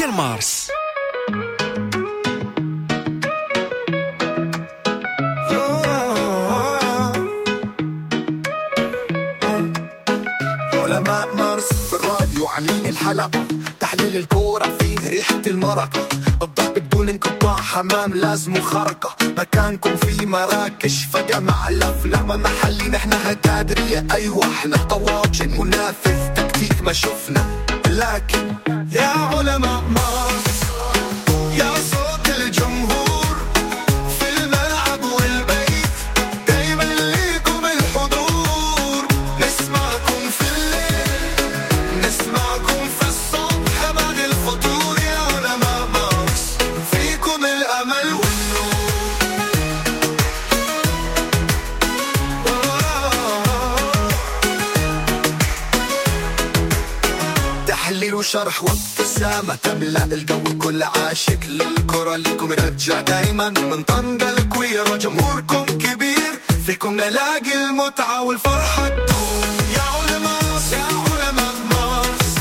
ديال مارس. علماء مارس في الراديو عاملين الحلقة، تحليل الكورة فيه ريحة المرقة، الضحك بدون انقطاع، حمام لازم خرقة، مكانكم في مراكش فجمع الأفلام محلي، نحن هتادرية أيوة احنا طواجن منافذ تكتيك ما شفنا، لكن يا علماء مارس يا صوت الجمهور في الملعب والبيت، دايما ليكم الحضور، نسمعكم في الليل نسمعكم في الصبح بعد الفطور، يا علماء مارس فيكم الأمل والنور. تحليل وشرح وابتسامة تملأ الجو، كل عاشق للكرة لكم رجع دايما، من طنجة الكويرة جمهوركم كبير، فيكم نلاقي المتعة والفرحة تدوم. يا علماء يا علماء مارس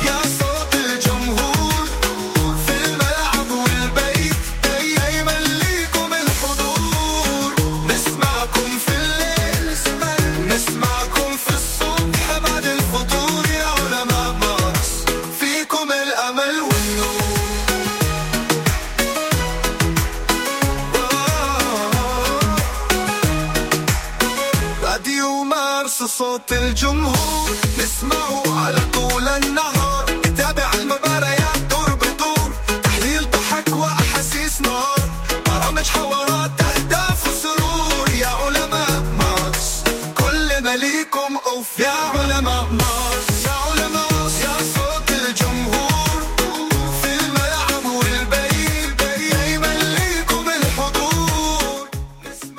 يا صوت الجمهور في الملعب والبيت، دايما ليكم الحضور، نسمعكم في الليل نسمعكم في الصبح بعد الفطور، يا علماء مارس فيكم الأمل والنور. راديو مارس صوت الجمهور، نسمعه على طول النهار، نتابع المباريات دور بدور، تحليل ضحك وأحاسيس نار، برامج حوارات أهداف وسرور، يا علماء مارس كل ما ليكم أوف، يا علماء مارس يا علماء يا صوت الجمهور في الملعب والبيت، دايما ليكم الحضور.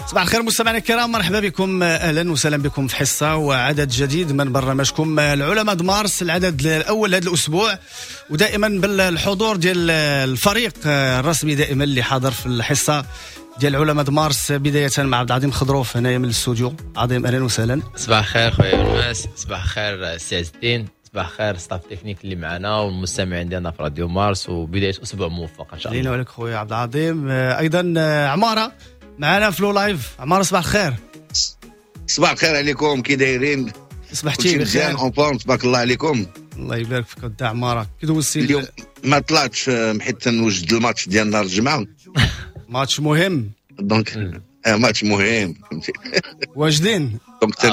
صباح الخير مستمعينا الكرام، مرحبا بكم، اهلا وسهلا بكم في حصة وعدد جديد من برنامجكم العلماء مارس، العدد الاول هذا الاسبوع، ودائما بالحضور ديال الفريق الرسمي دائما اللي حاضر في الحصة ديال علماء مارس، بداية مع عبد العظيم خضروف هنايا من الاستوديو. عظيم اهلا وسهلا. صباح الخير خويا الماس، صباح الخير سي عز الدين، صباح الخير staff technique اللي معنا والمستمعين ديالنا في راديو مارس، وبداية اسبوع موفق ان شاء الله. لينا ولك خويا عبد العظيم. ايضا عمارة معنا في le live. عمارة صباح الخير. صباح الخير عليكم، كي دايرين؟ صبحتي مزيان en forme، تبارك الله عليكم. الله يبارك فيك وداع عمارة. كي دوزتي اليوم؟ ما طلعتش حيت تنوجد الماتش ديال نهار الجمعة. ماتش مهم donc ماتش مهم فهمتي. واجدين donc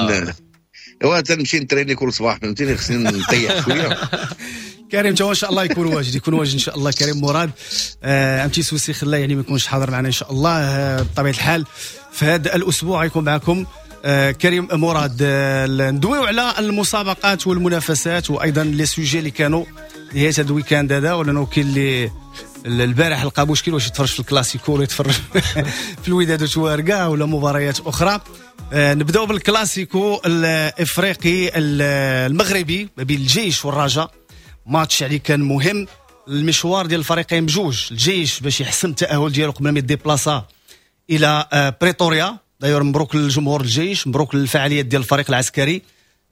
ايوا تنمشي نتريني كل صباح فهمتيني، خصني نطيح شوية. كريم تا ان شاء الله يكون واجد، يكون واجد ان شاء الله. كريم مراد un petit souci خلاه يعني ما يكونش حاضر معنا ان شاء الله. بطبيعة الحال في هذا الاسبوع غيكون معكم كريم مراد. ندويو على المسابقات والمنافسات وايضا les sujets اللي كانوا نهاية هذا ال week-end هذا، ولا كاين اللي البارح لقى مشكل واش يتفرج في الكلاسيكو ولا يتفرج في الوداد وتوارقه ولا مباريات اخرى. نبداو بالكلاسيكو الافريقي المغربي ما بين الجيش والرجاء. ماتش يعني كان مهم، المشوار ديال الفريقين بجوج، الجيش باش يحسم التاهل ديالو قبل ما يديبلاصا الى بريتوريا. داير مبروك للجمهور الجيش، مبروك للفعاليات ديال الفريق العسكري،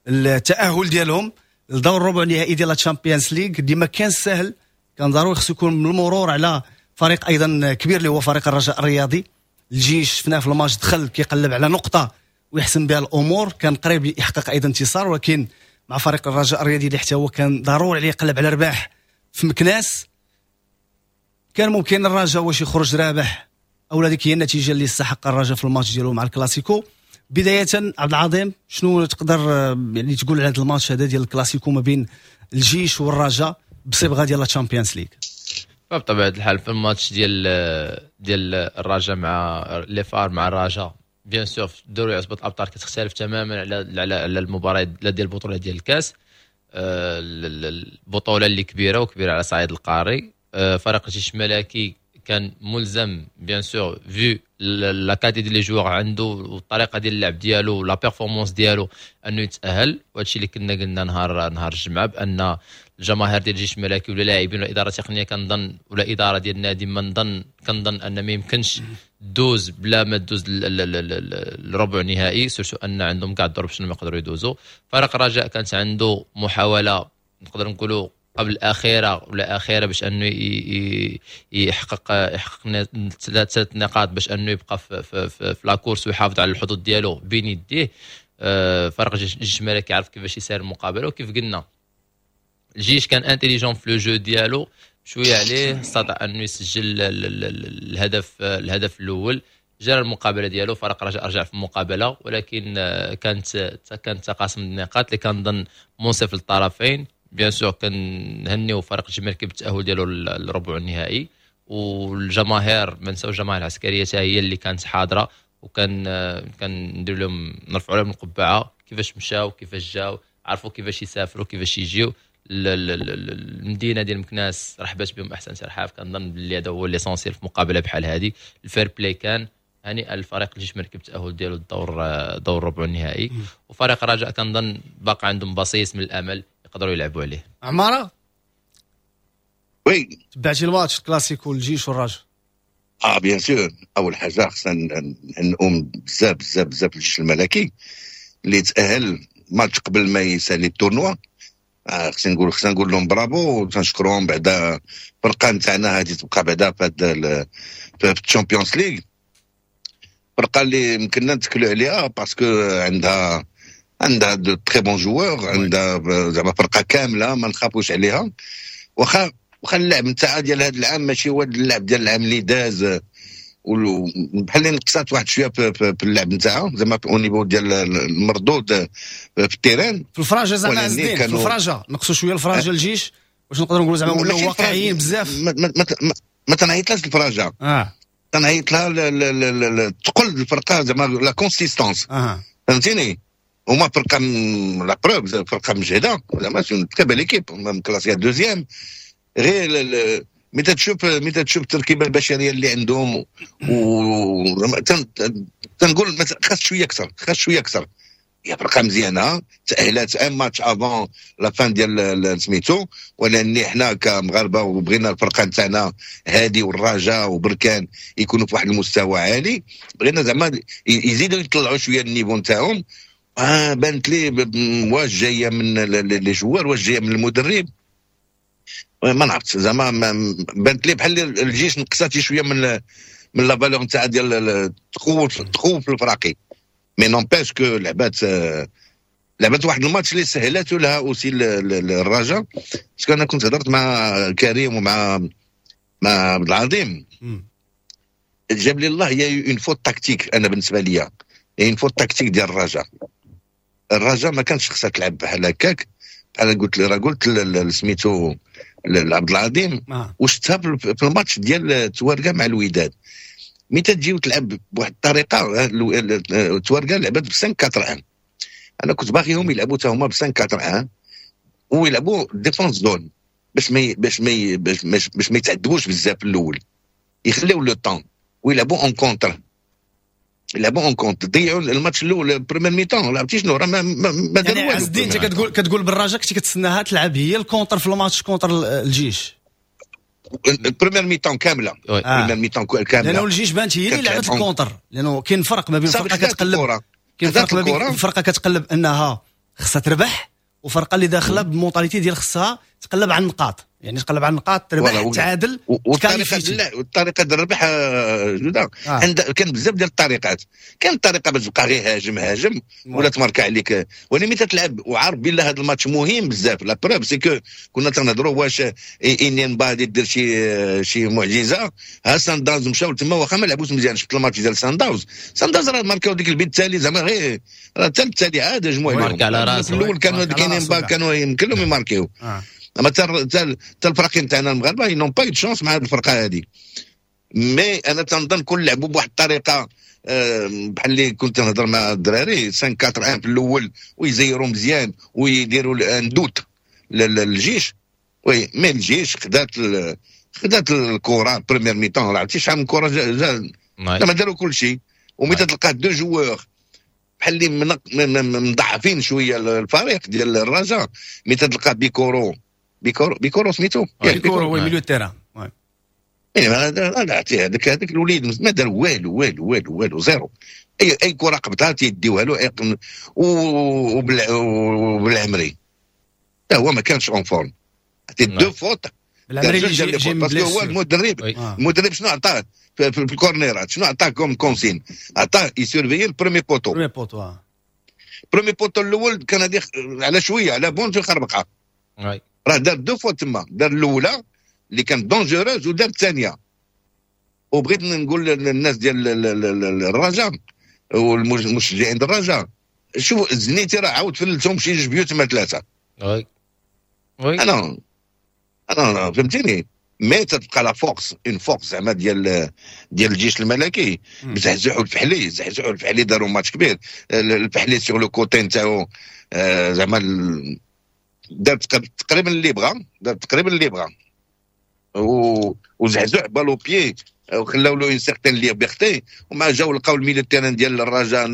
التاهل ديالهم لدور الربع النهائي ديال الشامبيونز ليغ اللي ما كان سهل، كان ضروري خصو يكون من المرور على فريق ايضا كبير اللي هو فريق الرجاء الرياضي. الجيش شفناه في الماتش دخل كيقلب على نقطة ويحسم بها الامور، كان قريب يحقق ايضا انتصار، ولكن مع فريق الرجاء الرياضي اللي حتى هو كان ضروري عليه يقلب على رباح في مكناس، كان ممكن الرجاء واش يخرج رابح او هذيك هي النتيجة اللي استحق الرجاء في الماتش ديالو مع الكلاسيكو. بداية عبد العظيم، شنو تقدر يعني تقول على هذا الماتش هذا ديال الكلاسيكو ما بين الجيش والرجاء بصبغه ديال الشامبيونز ليغ؟ بطبيعة الحال في الماتش ديال الرجاء مع les FAR مع الرجاء، bien sûr في دوري عصبة الابطال كتختلف تماما على المباراة ديال البطولة ديال الكاس. البطولة اللي كبيرة وكبيره على صعيد القاري. فريق الجيش الملكي كان ملزم bien sûr vu la qualité ديال les joueurs عنده والطريقة ديال اللعب ديالو la performance ديالو انه يتاهل، وهادشي اللي كنا قلنا نهار الجمعة بان الجماهير ديال الجيش الملكي ولا لاعبين ولا ادارة تقنية كنظن ولا ادارة ديال النادي ما نظن كنظن ان ما يمكنش دوز بلا ما دوز الربع النهائي، surtout ان عندهم كاع الظروف شنو ما يقدروا يدوزوا. فريق الرجاء كانت عنده محاولة نقدر نقولوا قبل الاخيرة ولا اخيرة باش انه يحقق ثلاث نقاط باش انه يبقى في la course ويحافظ على الحظوظ ديالو بين يديه. فريق الجيش الملكي عرف كيفاش يسير المقابله، وكيف قلنا الجيش كان intelligent في le jeu ديالو شوية عليه، استطاع انه يسجل الهدف الاول، جرى المقابلة ديالو. فريق رجع رجع في المقابله، ولكن كان تقاسم النقاط اللي كنظن منصف للطرفين. bien sûr كنهنيو فريق الجيش الملكي بالتاهل ديالو للربع النهائي، والجماهير، ما نساوش الجماهير العسكرية هي اللي كانت حاضره، وكان كندير لهم، نرفعوا لهم القبعه، كيفاش مشاو، كيفاش جاو، عرفوا كيفاش يسافروا، كيفاش يجيو. المدينة ديال مكناس رحبت بهم احسن ترحاب. كنظن باللي هذا هو l'essentiel في مقابله بحال هذه. ال fair-play كان. هنيئا الفريق الجيش الملكي بالتاهل ديالو الدور الربع النهائي، وفريق الرجاء كنظن باقي عندهم بصيص من الامل يقدروا يلعبوا عليه. عمارة. oui. تبعتي الماتش الكلاسيكو، الجيش والرجاء؟ اه bien sûr. اول حاجة خصنا نقوم بزاف بزاف بزاف الجيش الملكي اللي تاهل ماتش قبل ما يسالي ال tournoi. خصنا نقول لهم برافو، تنشكرهم. بعدا الفرقة نتاعنا هذه تبقى بعدا في هاد في ال Champions League، فرقه اللي يمكننا نتكلوا عليها parce que عندها de très bons joueurs، عندها زعما فرقه كاملة ما نخافوش عليها. واخا اللعب نتاعها ديال هذا العام ماشي هو اللعب ديال العام اللي داز، بحال اللي نقصات واحد شوية في اللعب نتاعها، زعما au niveau ديال المردود في ال terrain. في الفراجه زعما عزدين، في الفراجه نقصوا شوية الفراجه الجيش، واش نقدروا نقولوا زعما ولاو واقعيين بزاف؟ ما تنعيطلاش الفراجه، تنعيط لها تقل الفرقه، زعما la consistance. فهمتيني؟ هما فرقه، la preuve، فرقه مجهده، زعما c'est très belle équipe classée deuxième. غير متى تشوف التركيبة البشرية اللي عندهم و تنقول خاص شوية اكثر، خاص شوية اكثر. هي فرقه مزيانه، تاهلات un match avant la fin ديال سميتو، ولان حنا كمغاربه وبغينا الفرقة نتاعنا هادي والرجاء وبركان يكونوا في واحد المستوى عالي، بغينا زعما يزيدوا يطلعوا شوية ال niveau نتاعهم. بانت لي واش جاية من les joueurs، واش جاية من المدرب، ما نعرفت. زعما بانت لي بحال الجيش نقصات شوية من la valeur نتاع ديال تخوف الفراقي. mais n'empêche que لعبات واحد الماتش اللي سهلته لها aussi الرجاء، parce que انا كنت هضرت مع كريم ومع عبد العظيم، جاب لي الله il y a une faute tactique. انا بالنسبة لي une faute tactique ديال الرجاء. الرجاء ما كانش خصها تلعب بحال هكاك. بحال قلت، راه قلت سميتو عبد العظيم. وشتها في الماتش ديال توارقه مع الوداد، ملي تجي وتلعب بواحد الطريقه، توارقه لعبت ب 5 4 1، انا كنت باغيهم يلعبوا حتى هما ب 5 4 1 ويلعبوا défense zone باش ما يتعذبوش بزاف في الاول، يخليو le temps ويلعبوا en contre، يلعبوا en contre. ضيعوا الماتش الاول، première mi-temps، لعبتي شنو؟ راه ما داروا يعني والو. عز الدين، انت كتقول بالرجاء كنتي كتسناها تلعب هي ال contre في الماتش contre الجيش؟ première mi-temps كامله. Première mi-temps كامله. لانه الجيش بانت هي اللي لعبت ال contre، لانه كاين فرق ما بين فرقه كتقلب، كاين فرق ما بين فرقه كتقلب انها خصها تربح وفرقه اللي داخله ب mentalité ديال خصها تقلب على النقاط، يعني تقلب على النقاط، تربح، تعادل. والطريقة ديال الربح جوده. عند كان بزاف ديال الطريقات. كان الطريقة باش تبقى غير هاجم هاجم ولا تمارك عليك، ولكن ملي تلعب وعارف بلي هذا الماتش مهم بزاف، la preuve c'est que كنا تنهضروا واش انيمبا غادي دير شي معجزه. ها سان داونز مشاو تما واخا ما لعبوش مزيان. شفت الماتش ديال سان داونز، سان داونز راه ماركاو ديك البيت التالي، زعما غير راه حتى التالي عاد هجموا عليهم. على راسه. الاول كانوا كاينين، كانوا يمكن لهم يماركيو. اما حتى الفرق تاعنا المغاربة n'ont pas chance مع هذه الفرقة هذه. mais انا تنظن كل لعبوا بواحد الطريقه، بحال اللي كنت نهضر مع الدراري، 5 4 1 في الاول ويزيروا مزيان ويديروا un doute للجيش. oui، mais الجيش خدات الكره première mi-temps، عرفتي شحال من كره زعما داروا كل شيء. ومتى تلقى deux joueurs بحال اللي مضعفين شوية الفريق ديال الرجاء، ملي تلقى بيكورو، بيكورو، بيكورو سميتو. بيكورو، oui، milieu terrain. هذاك هذاك الوليد ما دار والو والو والو والو، zéro. اي كره قبطها تيديوها له. وبالعمري هو ما كانش en forme. deux fautes. parce que هو المدرب، المدرب شنو عطاه في الكورنيرات؟ شنو عطاه comme consigne؟ عطاه ي surveiller ال premier poteau. premier poteau. premier poteau الاول كان هذه على شويه، على بونت يخربقها. راه دار deux fautes تما، دار الاولى اللي كانت dangereuse ودار الثانيه. وبغيت نقول للناس ديال الرجاء والمشجعين ديال الرجاء، شوف الزنيتي راه عاود فلتهم شي جوج بيوت ما ثلاثه. oui. انا فهمتيني، mais تبقى la force، une force زعما ديال الجيش الملكي. زحزحوا الفحلي، زحزحوا الفحلي، داروا ماتش كبير. الفحلي sur le côté نتاعو زعما دار تقريبا اللي بغى، دار تقريبا اللي بغى، وزحزح balle au pied وخلاو له une certaine liberté. وما جاو لقاو ال milieu terrain ديال الرجاء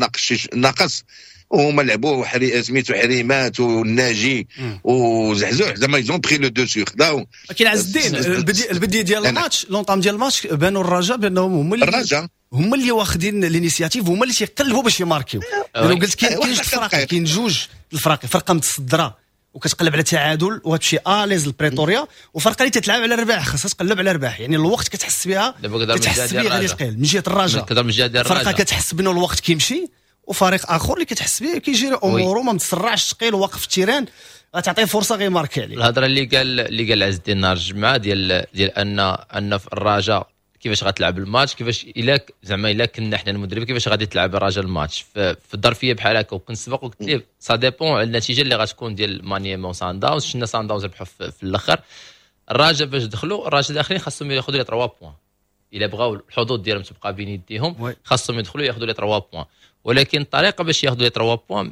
ناقص، وهما لعبوا سميتو حريمات والناجي وزحزوح، زعما ils ont pris le dessus، خداو. لكن عز الدين، البديه ديال الماتش، l'entame ديال الماتش، بانوا الرجاء بانهم هما اللي الرجاء هما اللي واخدين l'initiative، هما اللي تيقلبوا باش يماركيو. لانه قلت كاين جوج الفرق، كاين جوج الفرق، فرقه متصدره وكتقلب على تعادل وتمشي à l'aise لبريتوريا، وفرقه اللي تتلعب على الرباح، خاصها تقلب على الرباح. يعني الوقت كتحس بها، كتحس بها غادي ثقيل من جهة الرجاء. من جهة الرجاء فرقه كتحس بانه الوقت كيمشي، وفريق اخر اللي كتحس به كيجري اموره، ما متسرعش، ثقيل، واقف في ال terrain، غتعطيه فرصة غير ماركي عليه. الهضرة اللي قال عز الدين نهار الجمعة ديال ان في الرجاء كيفاش غتلعب الماتش، كيفاش الا زعما الا كنا حنا المدرب كيفاش غادي تلعب الرجاء الماتش في الظرفية بحال هكا. وكنت سبق وقلت ليه ça dépend على النتيجة اللي غتكون ديال مانيما وسان داونز. شفنا سان داونز ربحوا في الاخر. الرجاء فاش دخلوا، الرجاء داخلين خاصهم ياخذوا les 3 points الا بغاو الحظوظ ديالهم تبقى بين يديهم، خاصهم يدخلوا ياخذوا les 3 points. ولكن الطريقة باش ياخذوا les 3 points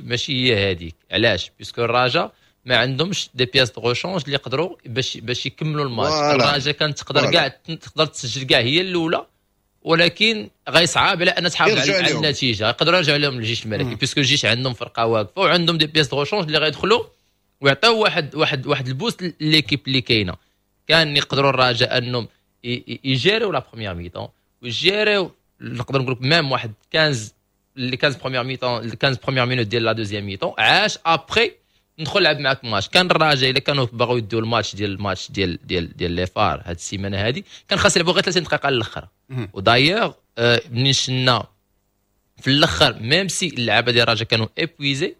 ماشي هي هذيك. علاش؟ parce que الرجاء ما عندهمش des pièces de rechange اللي يقدروا باش يكملوا الماتش. الرجاء كانت تقدر كاع تقدر تسجل كاع هي الاولى، ولكن غيصعب على ان تحافظ على النتيجه. يقدروا يرجعوا لهم الجيش الملكي، parce que الجيش عندهم فرقه واقفة وعندهم des pièces de rechange اللي غيدخلوا ويعطيو واحد ال boost l'équipe اللي كاينه. كان يقدروا الرجاء انهم يجيريو la première mi-temps ويجيريو، نقدر نقول لك même واحد 15 les 15 premières mi-temps، 15 premières minutes ديال la deuxième mi-temps، عاش après ندخل لعب معاك ماتش. كان الرجاء الا كانوا باغيو يديو الماتش ديال الماتش ديال ديال ديال les FAR هاد السيمانة هادي، كان خاص يلعبوا غير 30 دقيقة الاخر. و d'ailleurs منين شنا في الاخر، même si اللعابه ديال الرجاء كانوا épuisés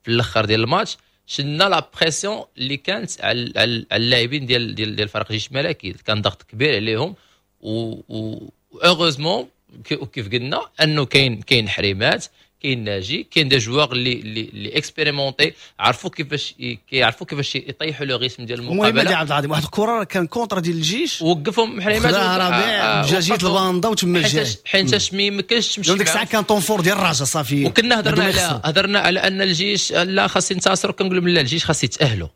في الاخر ديال الماتش، شنا la pression اللي كانت على اللاعبين ديال فريق الجيش الملكي، كان ضغط كبير عليهم. و heureusement وكيف قلنا انه كاين حريمات، كاين ناجي، كاين des joueurs اللي expérimentés، عرفوا كيفاش كيعرفوا كيفاش يطيحوا le rythme ديال المقابله. المهم عبد العظيم، واحد الكره كان contre ديال الجيش وقفهم حريمات. ربيع جا جيت الباندا وتما جاي. حيتاش ما يمكنش تمشي. ديك الساعة كان temps fort ديال الرجاء صافي. وكنا هضرنا على ان الجيش لا خاص ينتصر، كنقول لا الجيش خاص يتاهلوا.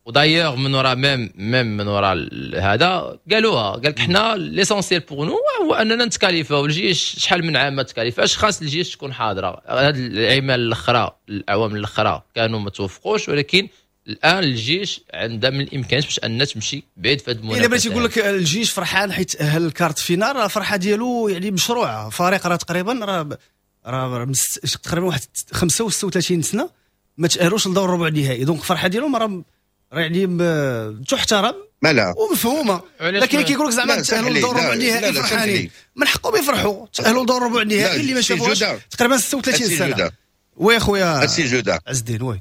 و d'ailleurs من وراء même من وراء هذا قالوها، قال لك حنا l'essentiel pour nous هو اننا نتكاليفاو. الجيش شحال من عام ما تكاليفاش، خاص الجيش تكون حاضره. هاد العوام الاخرى، الاعوام الاخرى كانوا ما توفقوش، ولكن الان الجيش عندها من الامكانيات باش انها تمشي بعيد في هذه المنافسه. الا بغيتي يقول لك الجيش فرحان حيت تاهل ال quart de finale، الفرحة ديالو يعني مشروعه. فريق راه تقريبا راه تقريبا واحد 35 سنة ما تاهلوش لدور الربع النهائي، donc الفرحة ديالهم راه يعني تحترم لا ومفهومه. لكن كيقول لك زعما تاهلوا لدور الربع النهائي فرحانين، من حقهم يفرحوا، تاهلوا لدور الربع النهائي اللي ما شافوش تقريبا 36 سنه. oui خويا. السي جوده. عز الدين، oui.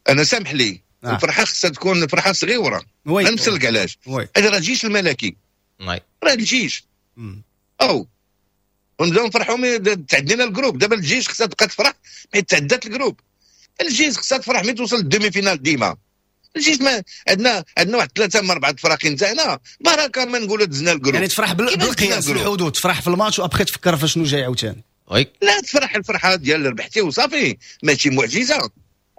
انا سامح لي، الفرحة خصها تكون فرحه صغيرة. نمثلك علاش. هذا راه الجيش الملكي، راه الجيش او ونبداو نفرحوا تعدينا ال groupe. دابا الجيش خصها تبقى تفرح حيت تعدات ال groupe. الجيش خصها تفرح ملي توصل لل demi-finale. ديما الجيش ما عندنا واحد ثلاثة من اربعة فراقين تاعنا، بركة ما نقولوا دزنا ال groupe. يعني تفرح بالقياس، الحدود، تفرح في الماتش و après تفكر في شنو جاي عاوتاني. oui. لا، تفرح الفرحة ديال ربحتي وصافي، ماشي معجزه.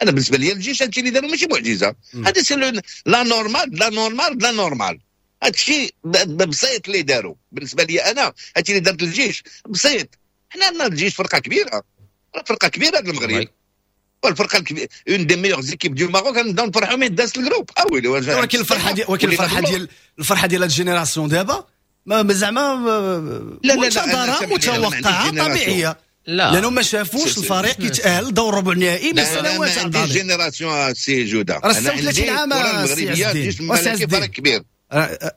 انا بالنسبة لي الجيش هادشي اللي داروا ماشي معجزه، هذا c'est la normale، la normale، la normale. هادشي بسيط اللي داروا. بالنسبة لي انا هادشي اللي دارت الجيش بسيط. حنا عندنا الجيش فرقه كبيره، فرقه كبيرة المغرب، والفرقة الكبيرة، une des meilleures équipes du Maroc. كنبداو نفرحوا من داس ال groupe اويلي. ولكن الفرحه ديال هاد ال génération دابا ما زعما لا لا لا متوقعه طبيعيه. لا، لانه ما شافوش الفريق يتاهل دور ربع النهائي من سنوات. انا عندي génération سي جوده، راه 36 عام الجيش الملكي فريق كبير.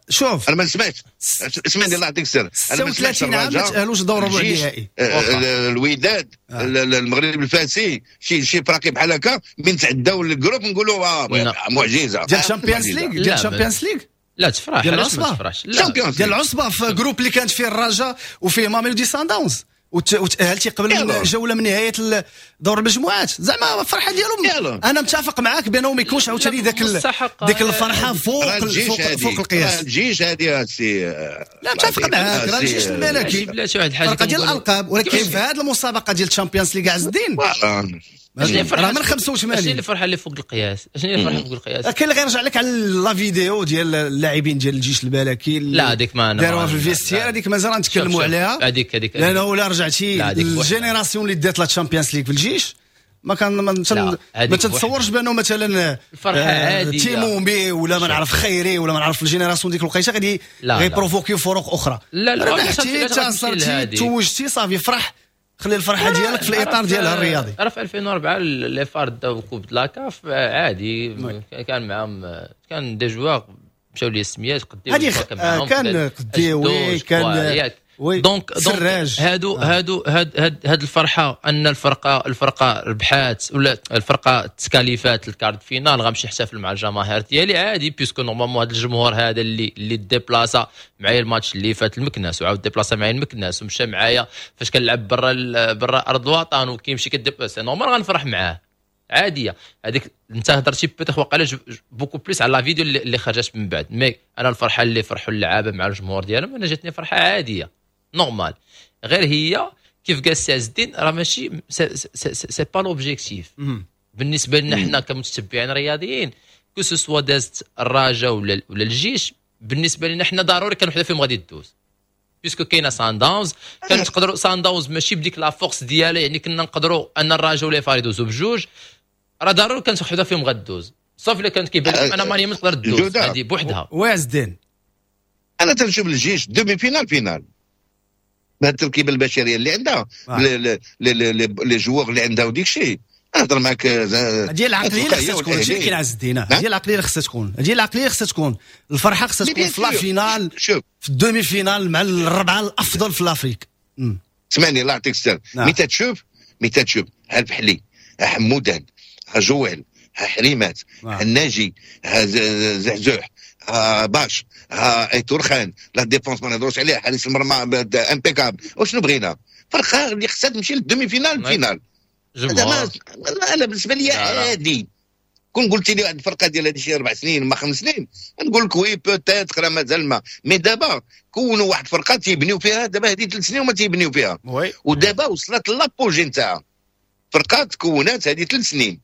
شوف انا ما سمعتش، اسمعني الله يعطيك السر، انا ما سمعتش 36 عام ما تاهلوش دور ربع النهائي. الوداد، المغرب الفاسي، شي فراقي بحال هكا من تعداو ال groupe نقولوا معجزه ديال الشامبيونز ليغ، ديال الشامبيونز ليغ. لا تفرح، ديال علاش ما العصبة. تفرحش؟ لا ديال العصبة في groupe اللي كانت فيه الرجاء وفيه ماميلودي سان داونز، وتاهلتي قبل من جولة من نهاية دور المجموعات. زعما الفرحة ديالهم انا متفق معاك بانه ما يكونش عاوتاني ديك الفرحة فوق فوق القياس. الجيش هذه سي، لا متفق معاك، راه الجيش الملكي بلاتي واحد الحاجة فرقه ديال الالقاب، ولكن في هذه المسابقة ديال الشامبيونز ليغ عز الدين راه من 85. شنو الفرحة اللي فوق القياس؟ شنو الفرحة فوق القياس؟ كاين اللي غيرجع لك على la vidéo ديال اللاعبين ديال الجيش الملكي. لا هذيك ما داروها في ال vestiaire، هذيك مازال نتكلموا عليها. هذيك لانه لا رجعتي ال génération اللي دات la Champions League في الجيش ما كان ما تتصورش بانه مثلا الفرحة عادية تيمومي ولا ما نعرف خيري ولا ما نعرف ال génération ديك الوقيته غادي غي provoquer فرق اخرى. لا لا، ربحتي، انتصرتي، توجتي، صافي فرح، خلي الفرحة ديالك في الاطار ديالها الرياضي. راه في 2004 les FAR داو coupe la CAF عادي، كان معاهم كان des joueurs مشاو لي السميات قديوي، كان قديوي، كان oui donc هادو هادو هاد هاد هاد الفرحة ان الفرقه ربحات ولا الفرقة تكاليفات ال quart de finale، غنمشي نحتفل مع الجماهير ديالي عادي، puisque normalement هذا الجمهور هذا اللي déplaça معايا الماتش اللي فات المكناس، وعاود déplaça معايا المكناس، ومشى معايا فاش كنلعب برا ارض الوطن وكيمشي كي déplacer، normal غنفرح معاه عادية. هذيك انت هضرتي peut-être وقع beaucoup plus على la vidéo اللي خرجت من بعد، mais انا الفرحة اللي فرحوا اللعابه مع الجمهور ديالهم انا جاتني فرحه عادية normal. غير هي كيف قال السي عز الدين راه ماشي c'est pas l'objectif بالنسبة لنا حنا كمتتبعين رياضيين، que ce soit دازت الرجاء ولا الجيش، بالنسبة لنا حنا ضروري كان وحده فيهم غادي تدوز، puisque كاينه سان داونز، كان تقدروا سان داونز ماشي بديك la force ديالها، يعني كنا نقدروا ان الرجاء ولا FAR يدوزوا بجوج، راه ضروري كانت وحده فيهم غدوز، صافي الا كانت كيبان لكم انا ماني ما تقدر تدوز هذه بوحدها. وعز الدين انا تنشوف الجيش demi-finale finale بهذه التركيبة البشرية اللي عندها، les joueurs اللي عندها وديك الشيء. نهضر معاك ديال العقلية اللي خصها تكون، هادشي اللي كاين عز الدين، ديال العقلية اللي خصها تكون، ديال العقلية خصها تكون، الفرحة خصها تكون في la finale، في ال demi-finale مع الربعه الافضل في l'Afrique. اسمعني الله يعطيك السر، مي تتشوف ها الفحلي، ها حمودان، ها جويل، ها حريمات، ها الناجي، ها زعزوح، ها باش، ها ايتور خان، la défense ما نهضروش عليها، حارس المرمى impeccable. وشنو بغينا؟ فرقه اللي خصها تمشي لل demi-finale finale. هذا انا بالنسبة لي عادي. كون قلت لي واحد الفرقة ديال هذه شي 4 سنين ما 5 سنين نقول لك oui peut-être راه مازال ما، mais دابا كونوا واحد الفرقة تيبنيو فيها دابا هذه 3 سنين وما تيبنيو فيها، ودابا وصلت l'apogée نتاعها. فرقه تكونات هذه 3 سنين،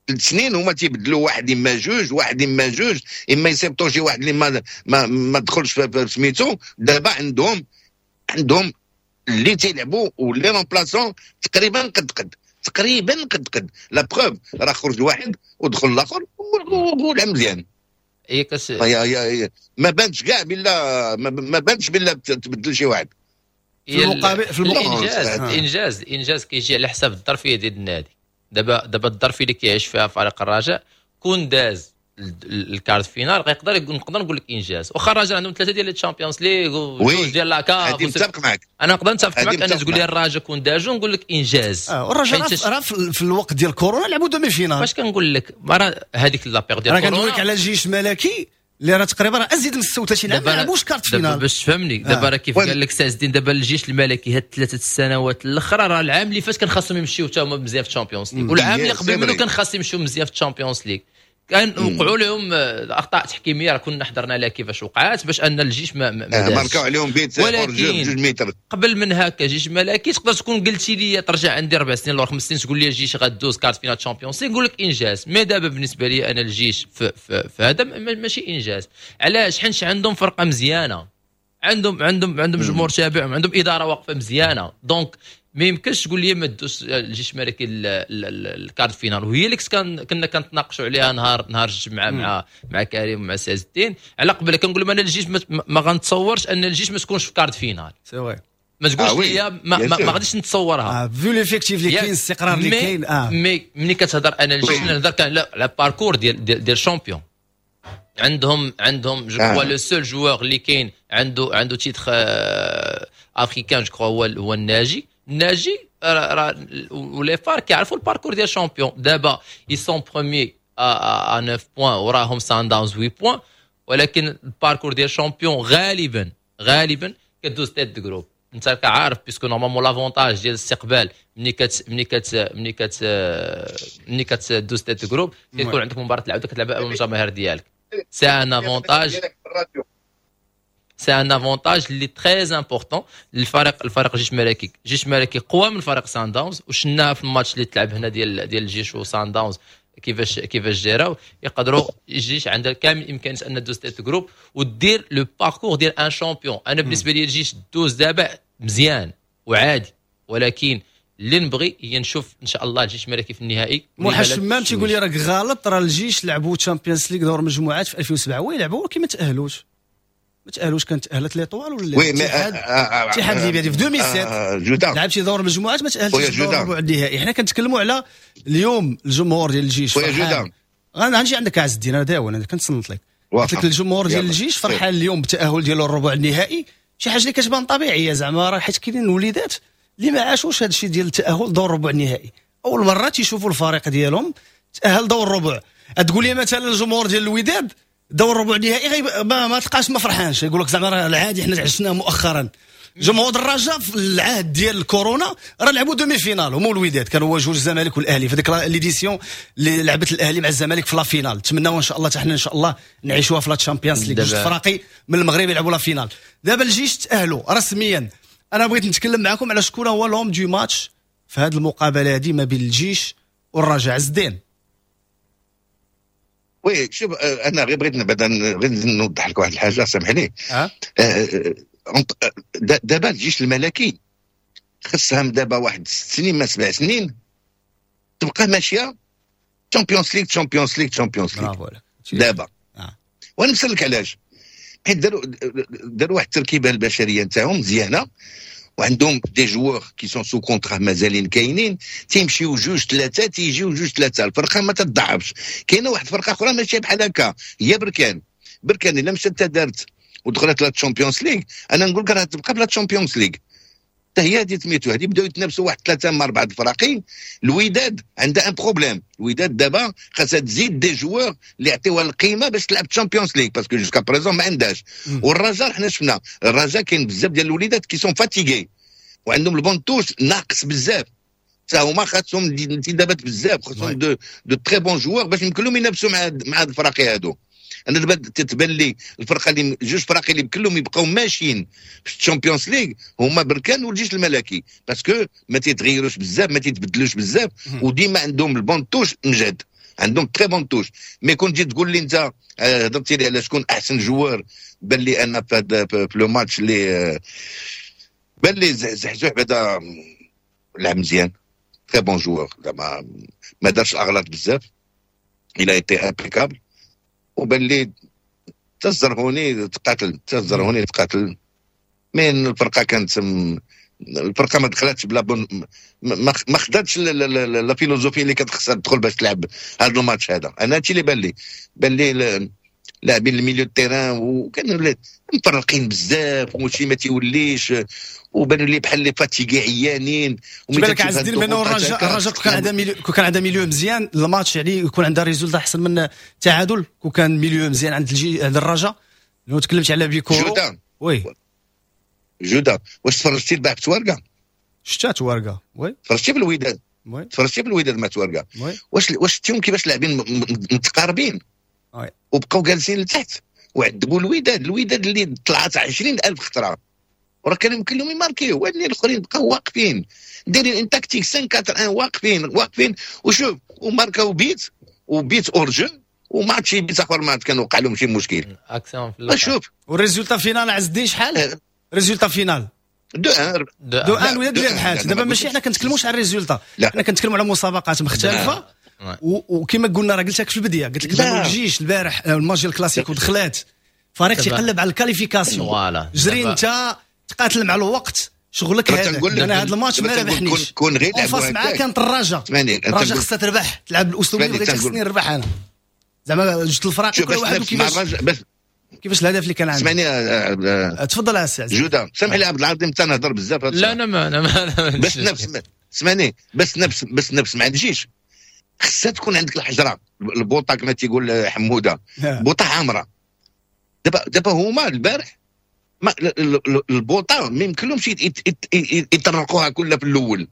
3 سنين هما تيبدلوا واحد اما جوج، واحد اما جوج، اما يصيبطوا شي واحد اللي ما دخلش في سميتو. دابا عندهم اللي تيلعبوا و les remplaçants تقريبا قد قد، تقريبا قد قد. la preuve راه خرج واحد ودخل الاخر ولعب مزيان. هي كاس هي ما بانش كاع بلا ما بانش بلا تبدل شي واحد. في المقابل في المقابل الانجاز كيجي على حساب الظرفية ديال النادي. دابا الظرفية اللي كيعيش فيها فريق الرجاء، كون داز ال quart de finale غيقدر نقدر نقول لك انجاز، واخا الرجاء عندهم ثلاثة ديال ال Champions League وجوج ديال la CAF. متفق معك. انا نقدر نتفق معك ان تقول لي الرجاء كون دازو نقول لك انجاز. والرجاء راه في الوقت ديال كورونا لعبوا demi-finale. فاش كنقول لك راه هذيك la période ديال كورونا، كنقول لك على الجيش الملكي اللي راه تقريبا راه ازيد من 36 عام ما لعبوش quart de finale. باش تفهمني دابا راه كيف قال لك سي الدين، دابا الجيش الملكي هاد 3 السنوات الاخرى، راه العام اللي فات كان خاصهم يمشيو حتى هما مزيان في ال Champions League، والعام اللي قبل منه كان خاصهم يمشيو مزيان في ال Champions League. كان وقعوا لهم اخطاء تحكيميه، راه كنا حضرنا لها كيفاش وقعات باش ان الجيش ما ماركاو عليهم بيت. ولكن متر. قبل من هكا جيش ملكي تقدر تكون قلتي لي ترجع عندي 4 سنين ولا 5 سنين تقول لي الجيش غدوز quart de finale Champions League، نقول لك انجاز. mais دابا بالنسبة لي انا الجيش في هذا ماشي انجاز. علاش؟ حيت عندهم فرقه مزيانه، عندهم جمهور تابعهم، عندهم ادارة واقفة مزيانه، donc ما يمكنش تقول لي ما دوش الجيش الملكي ال quart de finale. وهي اللي كنا كنتناقشوا عليها نهار الجمعة مع كريم ومع سي الدين على قبل، كنقول لهم انا الجيش ما غنتصورش ان الجيش ما تكونش في quart de finale. c'est vrai. ما تقولش لي ما غاديش نتصورها vu l'effectif اللي كاين، الاستقرار اللي كاين. mais ملي كتهضر انا الجيش نهضر كان على parcours ديال champion. عندهم je crois le seul joueur اللي كاين عنده titre africain je crois هو الناجي. راه و les FAR كيعرفوا ال parcours ديال champion. دابا ils sont premiers à 9 points، وراهم سان داونز 8 points، ولكن ال parcours ديال champion غالبا كدوز tête de groupe. انت عارف puisque normalement l'avantage ديال الاستقبال ملي كت ملي كت ملي كت ملي كتدوز tête de groupe كيكون عندك مباراة العودة كتلعب امام الجماهير ديالك. c'est un avantage، c'est un avantage اللي très important للفريق الجيش الملكي. الجيش الملكي قوى من فريق سان داونز، وشناها في الماتش اللي تلعب هنا ديال الجيش وسان داونز كيفاش جراو. يقدروا الجيش عندها كامل الامكانية ان دوز tête groupe ودير le parcours ديال un champion. انا بالنسبة لي الجيش دوز دابا مزيان وعادي، ولكن اللي نبغي هي نشوف ان شاء الله الجيش الملكي في النهائي. موحى الشمام تيقول لي راك غلط، راه الجيش لعبوا Champions League دور مجموعات في 2007، oui لعبوا ولكن ما تاهلوش. كانت تاهلت l'Étoile ولا الاتحاد، الاتحاد الليبي في 2007 لعب شي دور مجموعات ما تاهلش في الربع النهائي. حنا كنتكلموا على اليوم الجمهور ديال الجيش فرحان. غنجي عندك عز الدين، انا داون انا كنتصنت لك. قلت لك الجمهور ديال الجيش فرحان اليوم بالتاهل ديالو الربع النهائي، شي حاجة اللي كتبان طبيعية زعما، راه حيت كاينين وليدات اللي ما عاشوش هذا الشيء ديال التاهل دور الربع النهائي، اول مرة تيشوفوا الفريق ديالهم تاهل دور الربع. تقول لي مثلا الجمهور ديال الوداد دور الربع النهائي ما تلقاش ما فرحانش، يقول لك زعما راه العادي حنا عشناه مؤخرا. جمهور الرجاء في العهد ديال الكورونا راه لعبوا demi-finale هما الوداد، كانوا واجهوا الزمالك والاهلي في ديك l'édition اللي لعبت الاهلي مع الزمالك في la finale. نتمناو ان شاء الله حتى حنا ان شاء الله نعيشوها في la Champions League، جوج فراقي من المغرب يلعبوا la finale. دابا الجيش تاهلوا رسميا. انا بغيت نتكلم معكم على شكون هو l'homme du match في هذه المقابلة هذه ما بين الجيش والرجاء. عز الدين. oui شوف، انا غير بغيت نبدا غير نوضح لك واحد الحاجة، سامح لي. دابا الجيش الملكي خصها دابا واحد 6 سنين ما 7 سنين تبقى ماشية Champions League Champions League Champions League دابا. وانا نسالك علاش، حيت داروا واحد التركيبة البشرية نتاعهم مزيانه، وعندهم des joueurs qui sont sous contrat مازالين كاينين، تيمشيو جوج ثلاثة تيجيو جوج ثلاثة، الفرقة ما تضعفش. كاينه واحد الفرقة اخرى ماشية بحال هكا، هي بركان. بركان الا مشات دارت ودخلت la Champions League، انا نقول لك راه تبقى ب la Champions League حتى هي هذه سميتو. هذه بداو يتنافسوا واحد 3 مع 4 الفراقين. الوداد عندها un problème، الوداد دابا خاصها تزيد des joueurs اللي يعطيوها القيمة باش تلعب Champions League، parce que jusqu'à présent ما عندهاش. والرجاء حنا شفنا الرجاء كاين بزاف ديال الوليدات qui sont fatigués وعندهم ال banc de touche ناقص بزاف، حتى هما خاصهم انتدابات بزاف، خاصهم de très bons joueurs باش يمكن لهم ينافسوا مع هاد الفراقي هادو. انا دابا تتبان لي الفرقة اللي جوج فراقي اللي كلهم يبقاو ماشيين في ال Champions League هما بركان والجيش الملكي، parce que ما تيتغيروش بزاف، ما تيتبدلوش بزاف، وديما عندهم ال banc de touche مجد، عندهم très bonne touche. mais كون جيت تقول لي انت هضرتي لي على شكون احسن joueur، بان لي انا في le match اللي بان لي زحزوح بعدا لعب مزيان، très bon joueur، زعما ما دارش الاغلاط بزاف، il a été impeccable. وبان لي تزرهوني تقاتل، mais الفرقة كانت الفرقة ما دخلتش ب la bonne، ما خداتش la philosophie اللي كانت خصها تدخل باش تلعب هذا الماتش هذا. انا هادشي اللي بان لي لاعبين ال milieu terrain وكانوا مفرقين بزاف وشي ما تيوليش، وبانوا لي بحال les fatigués عيانين. بالك عز الدين بانه الرجاء كان عندها milieu مزيان الماتش، يعني يكون عندها résultat احسن من التعادل. كون كان milieu مزيان عند عند الرجاء. لو تكلمت على بيكورو oui جوده، واش تفرجتي البارح في توارقه؟ شتا توارقه oui، تفرجتي بالوداد oui، تفرجتي بالوداد مع توارقه oui. واش شتيهم كيفاش لاعبين متقاربين oui، وبقاو جالسين لتحت وعذبوا الوداد اللي طلعت 20,000 خطره، وراه كانوا يمكن لهم يماركيو، وهاد الاخرين بقاو واقفين دايرين une tactique 5 4 1 واقفين وشوف وماركاو بيت وبيت hors-jeu وما شي بيت اخر ما كان وقع لهم شي مشكل. شوف وال résultat final عز الدين شحال؟ résultat final 2-1 2-1 الوداد اللي ربحات. دابا ماشي حنا كنتكلموش على ال résultat، حنا كنتكلموا على مسابقات مختلفة. وكما قلنا راه قلت لك في البداية، قلت لك الجيش البارح الماتش ديال الكلاسيكو دخلات فريق تيقلب على ال qualification، جري انت تقاتل مع الوقت شغلك هذا. انا هذا الماتش ما ربحنيش، كون غير لعبوا معاه كانت الرجاء، الرجاء خصها تربح، تلعب بالاسلوب اللي بغيتي، خصني نربح انا. زعما جوج الفرق كل واحد كيفاش الهدف اللي كان عندك. اسمعني، تفضل يا سي جوده، سامح لي عبد العظيم تنهضر بزاف. لا انا ما بس نفس، اسمعني بس نفس، بس نفس ما عنديش، خصها تكون عندك الحجرة البوطه كما تيقول حموده، بوطه حمراء. دابا هما البارح ما البوطه ما يمكنلهمش يطرقوها كلها في الاول،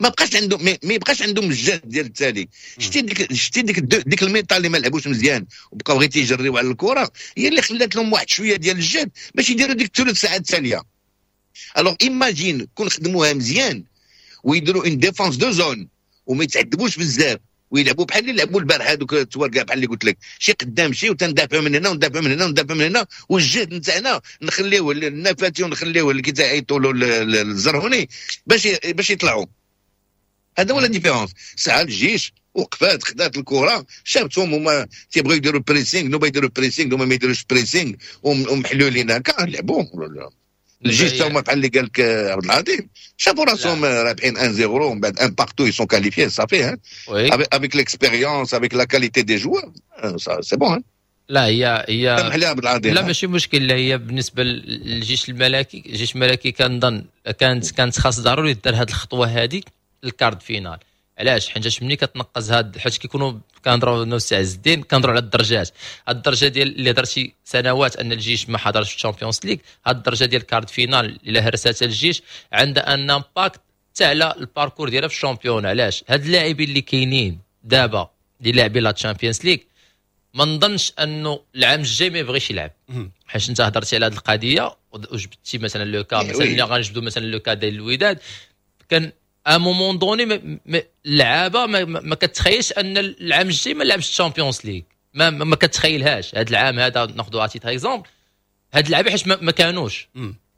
ما بقاش عندهم، ما يبقاش عندهم الجهد ديال التالي. شتي ديك ال mi-temps اللي ما لعبوش مزيان وبقاو غير تيجريو على الكره، هي اللي خلات لهم واحد شوية ديال الجهد باش يديروا ديك الثلث ساعة التالية. alors imagine كون خدموها مزيان ويديروا une défense de zone وما يتعذبوش بزاف ويلعبوا بحال اللي لعبوا البارح هذوك التواركه، بحال اللي قلت لك، شي قدام شي، وتندافعوا من هنا وندافعوا من هنا وندافعوا من هنا، والجهد نتاعنا نخليوه للنفاتي ونخليوه اللي كيتعيطوا له الزرهوني باش يطلعوا. هذا هو la différence. ساعة الجيش وقفات خدات الكره، شافتهم هما تيبغيو يديروا pressing، نوبا يديروا pressing، هما ما يديروش pressing ومحلولين هكا لعبوا. الجيش تا هما بحال اللي قال لك عبد العظيم، شافوا راسهم رابحين 1-0 ومن بعد 1 partout، ils sont qualifiés صافي، avec l'expérience، avec la qualité des joueurs، c'est bon. لا هي سامح لي عبد العظيم، لا ماشي مشكل. لا هي بالنسبة للجيش الملكي، الجيش الملكي كنظن كانت خاص ضروري دار هذه الخطوة هذه ال quart de finale. علاش؟ حيت ملي كتنقز هاد، حيت كيكونوا كنهضروا انا والسي عز الدين كنهضروا على الدرجات، هاد الدرجة ديال اللي درتي سنوات ان الجيش ما حضرش في ال Champions League، هاد الدرجة ديال quart de finale الا هرساتها الجيش عندها un impact حتى على ال parcours ديالها في ال championnat. علاش؟ هاد اللاعبين اللي كاينين دابا اللي لاعبين la Champions League ما نظنش انه العام الجاي ما يبغيش يلعب، حيت انت هضرتي على هاد القضية وجبتي مثلا le cas، مثلا ملي غنجبدوا مثلا le cas ديال الوداد، كان à un moment donné اللعابه ما كتخيلش ان العام الجاي ما لعبش ال Champions League، ما كتخيلهاش. هذا العام هذا ناخذ à titre exemple، هاد اللعابه حيت ما كانوش،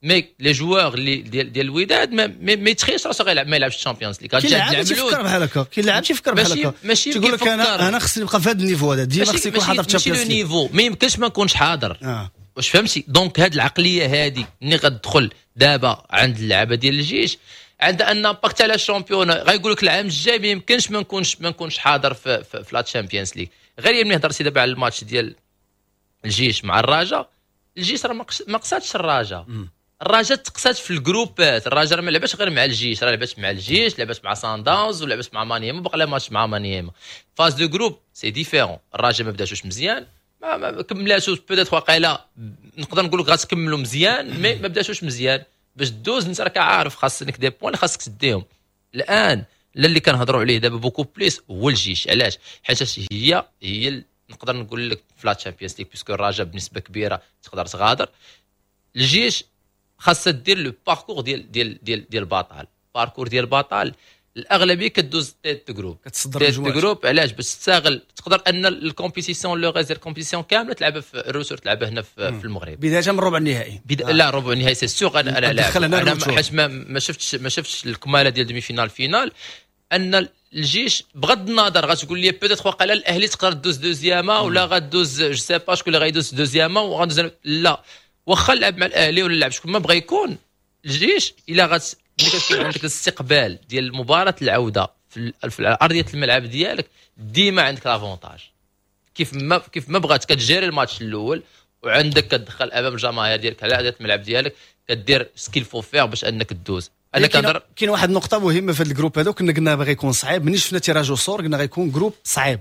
mais les joueurs اللي ديال الوداد ما يتخيلش راسو غيلعب ما يلعبش ال Champions League. كاين لاعب تيفكر بحال هكا، كاين لاعب تيفكر بحال هكا، ماشي تيقول لك انا خصني نبقى في هذا ال niveau هذا ديما، خصني نكون حاضر في ال Champions League، niveau ما يمكنش ما نكونش حاضر. واش فهمتي؟ donc هاد العقلية هادي ملي غتدخل دابا عند اللعابه ديال الجيش عندها un impact على ال championnat، غايقول لك العام الجاي ما يمكنش ما نكونش حاضر في la Champions League. غير ملي هضرتي دابا على الماتش ديال الجيش مع الرجاء، الجيش راه ما قصاتش الرجاء، الرجاء تقصات في الجروبات. الرجاء راه ما لعبش غير مع الجيش، راه لعبت مع الجيش، لعبت مع سان داونز، ولعبت مع مانيما، بقى لها ماتش مع مانيما. phase de groupes c'est différent، الرجاء ما بداتوش مزيان، ما كملاتوش peut-être واقيلا نقدر نقول لك غتكملوا مزيان، mais ما بداتوش مزيان باش دوز. انت راك عارف خاصك des points خاصك تديهم. الان اللي كنهضروا عليه دابا beaucoup plus هو الجيش. علاش؟ حيت هي نقدر نقول لك في la Champions League، puisque الرجاء بنسبة كبيرة تقدر تغادر. الجيش خاصها دير le parcours ديال ديال ديال ديال البطل، parcours ديال البطل الاغلبية كدوز tête de groupe، كتصدر tête de groupe. علاش؟ باش تستغل تقدر ان ال compétition le reste ديال ال compétition كاملة تلعبها في ال retour، تلعبها هنا في المغرب بداية من ربع النهائي. لا ربع النهائي c'est sûr. انا لا حيت ما شفتش الكماله ديال demi-finale finale. ان الجيش بغض النظر غتقول لي peut-être واقيلا الاهلي تقدر دوز deuxième ولا غدوز je sais pas شكون اللي غيدوز deuxième وغندوز، لا واخا لعب مع الاهلي ولا لعب شكون ما بغى يكون. الجيش الا غت ملي كتكون عندك الاستقبال ديال مباراة العودة في ارضية الملعب ديالك ديما عندك l'avantage، كيف ما بغات كتجيري الماتش الاول وعندك كتدخل امام الجماهير ديالك على ارضية الملعب ديالك، كدير ce qu'il faut faire باش انك تدوز. انا كنهضر كاين واحد النقطة مهمة في هذا ال groupe هذا، كنا قلنا باغي يكون صعيب، ملي شفنا tirage au sort قلنا غيكون groupe صعيب.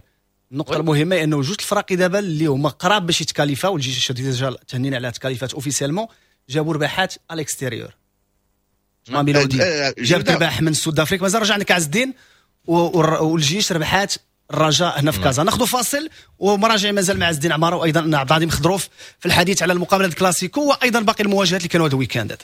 النقطة المهمة انه جوج الفرق دابا اللي هما قراب باش يتكاليفاو، الجيش déjà تهنينا على تكاليفات officiellement، جابوا رباحات à l'extérieur. ماميلودي جاب رباح من Sud Afrique، مازال رجعنا كعز الدين، والجيش ربحات الرجاء هنا في كازا. ناخذ فاصل ومراجع مازال مع عز الدين عمارة وايضا عبد العظيم خضروف في الحديث على المقابلة الكلاسيكو وايضا باقي المواجهات اللي كانوا هذا ال week-end هذا.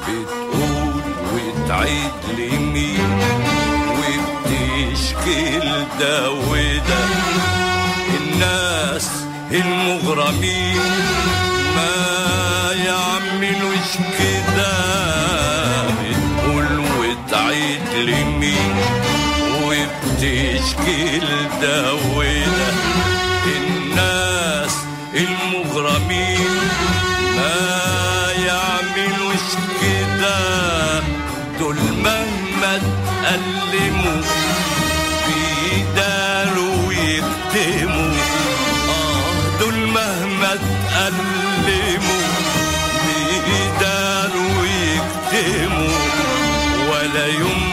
بتقول وتعيد لمين وبتشكي لده وده، الناس المغرمين ما يعملوش كده. بتقول وتعيد لمين وبتشكي لده وده، الناس المغرمين ما يعملوش كده. دول مهما تألموا بيداروا ويكتموا، دول مهما تألموا بيداروا ويكتموا، ولا يوم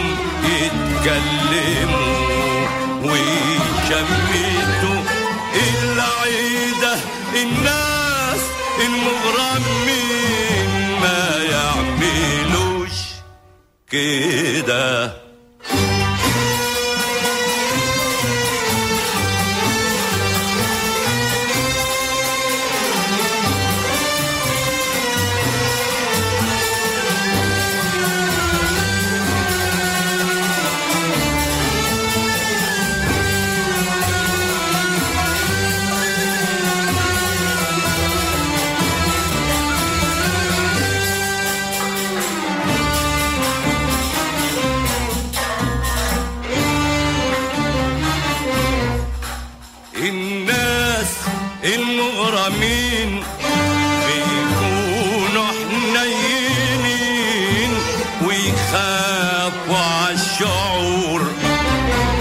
يتكلموا ويشمتوا العيدة. الناس المغرمين ما يعملوش كده. الناس المغرمين بيكونوا حنينين ويخافوا عالشعور،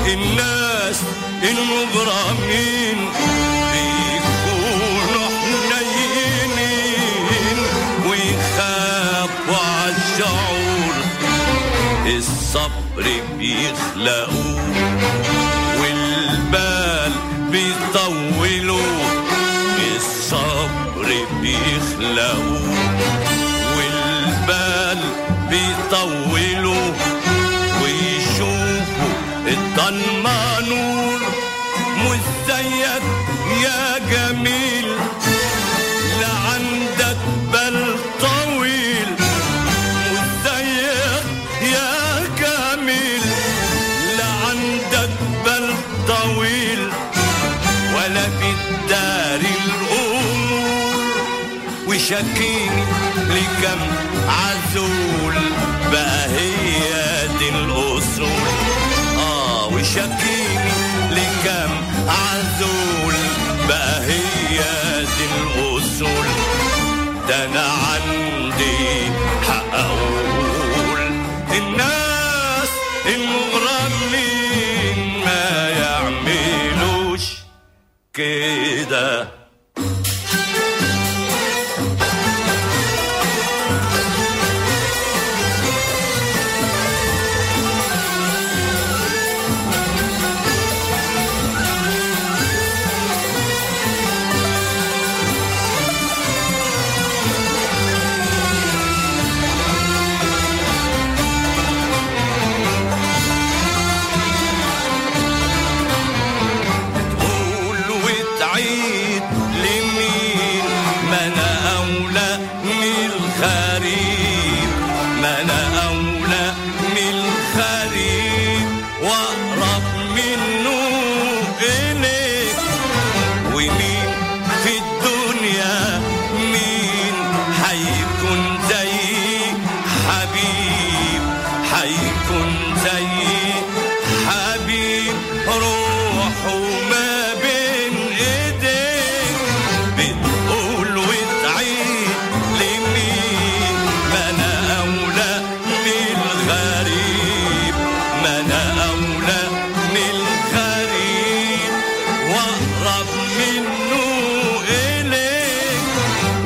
الناس المغرمين بيكونوا حنينين ويخافوا عالشعور. الصبر بيخلقوه والبال بيطولوا، الصبر بيخلقوا والبال بيطولوا، ويشوفوا الضلمة نور. مش زيك يا جميل لا عندك بال طويل، مش زيك يا جميل لا عندك بال طويل، ولا بالدار الأمور. وشكيني لكم عزول بقى هي دي الأصول، وشكيني لكم عزول بقى هي دي الأصول. ده أنا عندي حق أقول الناس المغرمين ما يعملوش كده.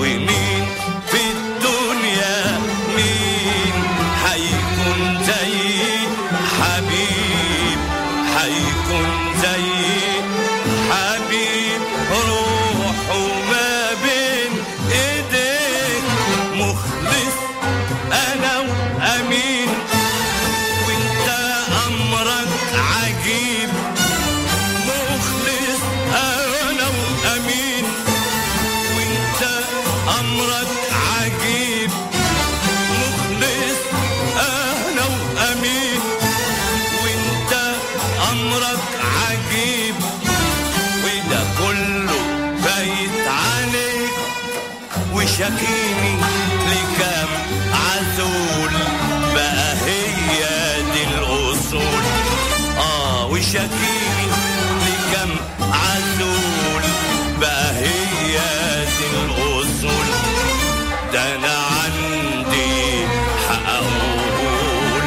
مين في الدنيا مين حيكون زي وشكيني لكام عزول بقى هي دي الأصول. وشكيني لكام عزول بقى هي دي الأصول. ده أنا عندي حق أقول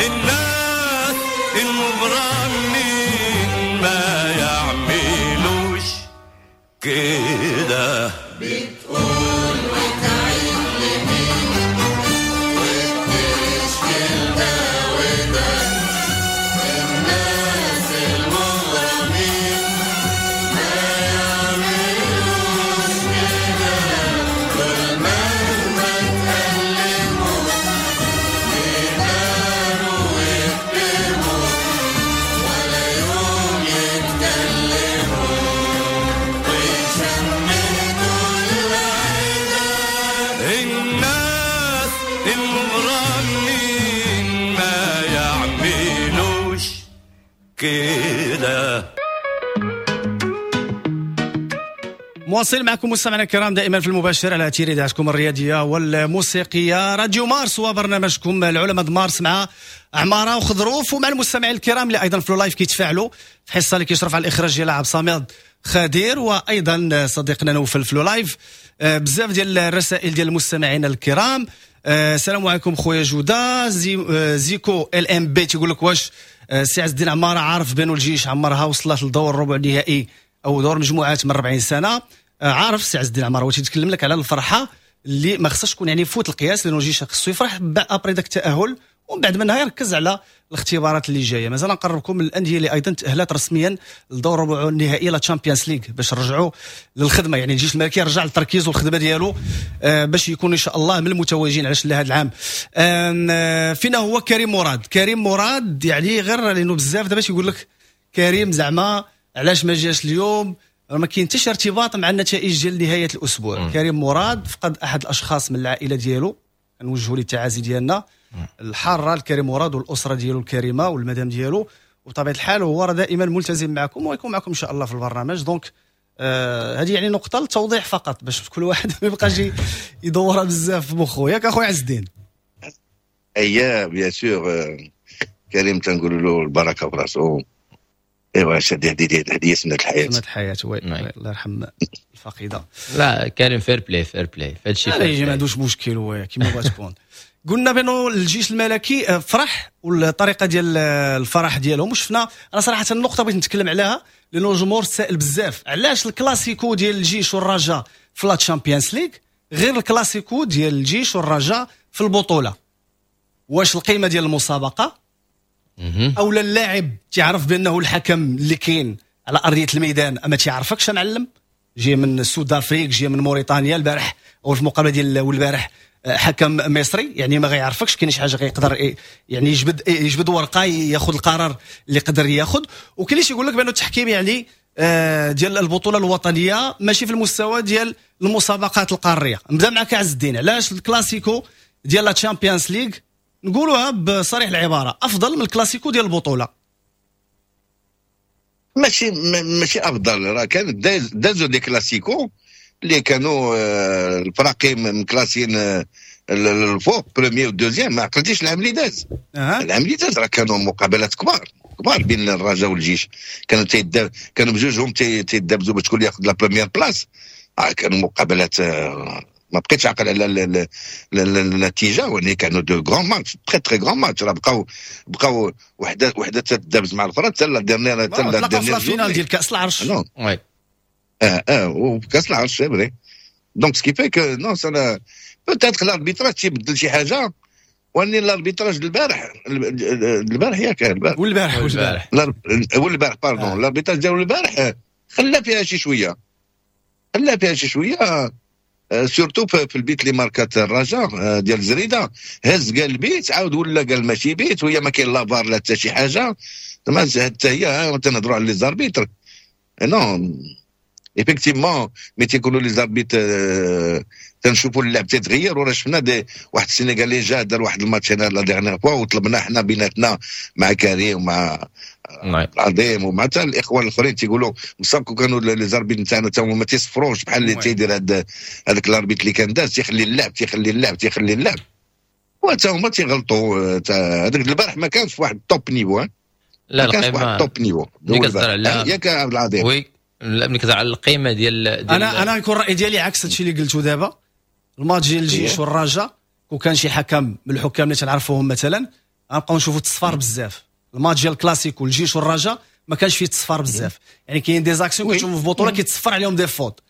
الناس المغرمين ما يعملوش كده. بتقول وتعيد لمين وبتشكي ده وده، الناس المغرمين ما يعملوش كده. دول مهما تألموا يقدروا ويكتموا ولا يوم يتكلموا ويشمتوا العدا. الناس المغرمين ما يعملوش كده. مواصل معكم مستمعينا الكرام دائما في المباشر على أثير إذاعتكم الرياضية والموسيقية راديو مارس وبرنامجكم العلماء مارس مع عمارة وخضروف، ومع المستمعين الكرام اللي أيضا في ال live كيتفاعلوا في حصة اللي كيشرف على الإخراج ديالها عبد الصمد خدير وأيضا صديقنا نوفل في ال live. بزاف ديال الرسائل ديال المستمعين الكرام. السلام عليكم خويا جودة. زيكو ال ام بي تيقول لك واش سي عز الدين عمارة عارف بانو الجيش عمرها وصلت لدور الربع النهائي او دور مجموعات من 40 سنة؟ عارف سي عز الدين عمارة، هو تيتكلم لك على الفرحة اللي ما خصهاش تكون يعني فوت القياس، لانه الجيش خصو يفرح après داك التاهل ومن بعد منها يركز على الاختبارات اللي جاية. مازال نقربكم من الاندية اللي ايضا تاهلت رسميا لدور ربع النهائي la Champions League باش نرجعوا للخدمة، يعني الجيش الملكي رجع للتركيز والخدمة ديالو باش يكون ان شاء الله من المتوجين علاش لهذا العام. فينا هو كريم مراد. كريم مراد يعني غير لانه بزاف دابا تيقول لك كريم زعما علاش ما جاش اليوم، ما كاين حتى شي ارتباط مع النتائج ديال نهاية الاسبوع. كريم مراد فقد احد الاشخاص من العائلة ديالو، نوجهوا ليه التعازي ديالنا الحارة لكريم مراد والاسرة ديالو الكريمة والمدام ديالو، وبطبيعة الحال هو راه دائما ملتزم معكم ويكون معكم ان شاء الله في البرنامج. donc هذه يعني نقطة للتوضيح فقط باش كل واحد ما يبقاش يدورها بزاف في مخو. ياك اخويا عز الدين؟ اييه bien sûr كريم تنقول له البركة في راسو. ايوا هذه هذه سنة الحياة، سنة الحياة oui، الله يرحم الفقيده. لا كريم fair play، fair play في هادشي، ما عندوش مشكل هو كيما بغات تكون. قلنا بانه الجيش الملكي فرح والطريقة ديال الفرح ديالهم، وشفنا انا صراحة النقطة بغيت نتكلم عليها لانه الجمهور سائل بزاف علاش الكلاسيكو ديال الجيش والرجاء في la Champions League غير الكلاسيكو ديال الجيش والرجاء في البطولة. واش القيمة ديال المسابقة او لا اللاعب تعرف بانه الحكم اللي كاين على ارضية الميدان اما تيعرفكش معلم، جاي من Sud Afrique، جاي من موريتانيا البارح او في المقابلة ديال والبارح حكم مصري، يعني ما غيعرفكش كاين شي حاجة غيقدر يعني يجبد ورقة ياخذ القرار اللي قدر ياخذ. وكاين اللي يقول لك بانه التحكيم يعني ديال البطولة الوطنية ماشي في المستوى ديال المسابقات القارية. نبدا معك عز الدين، علاش الكلاسيكو ديال la Champions League نقولوها بصريح العبارة افضل من الكلاسيكو ديال البطولة؟ ماشي افضل، راه كان دازو des classicos اللي كانوا الفراقي مكلاسين الفوق premier و deuxième. ما عقلتيش العام اللي داز؟ العام اللي داز راه كانوا مقابلات كبار كبار بين الرجاء والجيش، كانوا كانوا بجوجهم تيدابزوا باش شكون ياخذ la première place. كانوا مقابلات ما بقيتش عاقل على النتيجة، ولكن كانوا de grands matchs، très très grands matchs. راه بقاو وحده تدابز مع الاخرى حتى la dernière، حتى la dernière finale ديال كاس العرش. oui وكاس العرش c'est vrai. donc ce qui fait que non ça peut-être l'arbitrage تيبدل شي حاجة، واني l'arbitrage البارح ياك البارح والبارح pardon l'arbitrage ديال البارح خلى فيها شي شوية، surtout في البيت اللي ماركات الرجاء ديال زريده، هز قال البيت عاود ولا قال ماشي بيت، وهي ما كاين لا فار لا حتى شي حاجة. زعما حتى هي تنهضروا على les arbitres. non effectivement mais تيكونوا les arbitres تنشوفوا اللعب تيتغير. وراه شفنا des واحد السينيغالي جا دار واحد الماتش هنا la dernière fois، وطلبنا حنا بيناتنا مع كريم ومع العظيم. ومع حتى الاخوان الاخرين تيقولوا مصاب كانوا les arbitres نتاعنا تا هما ما تيصفروش بحال اللي تيدير هذاك l'arbitre اللي كان داز، تيخلي اللعب تيخلي اللعب تيخلي اللعب، وتا هما تيغلطوا. هذاك البارح ما كانش في واحد top niveau. لا، ما كانش في واحد top niveau. ملي كتهضر على ياك عبد العظيم؟ oui، لا، ملي كتهضر على القيمة ديال انا يكون الراي ديالي عكس هادشي اللي قلتو دابا. الماتش ديال الجيش والرجاء، وكان شي حكم من الحكام اللي تنعرفوهم مثلا، غنبقاو نشوفوا التصفار بزاف. الماتش ديال الكلاسيكو، الجيش والرجاء، ما كانش فيه تصفار بزاف، يعني كاين des actions كتشوفوا في البطولة كيتصفر عليهم des fautes.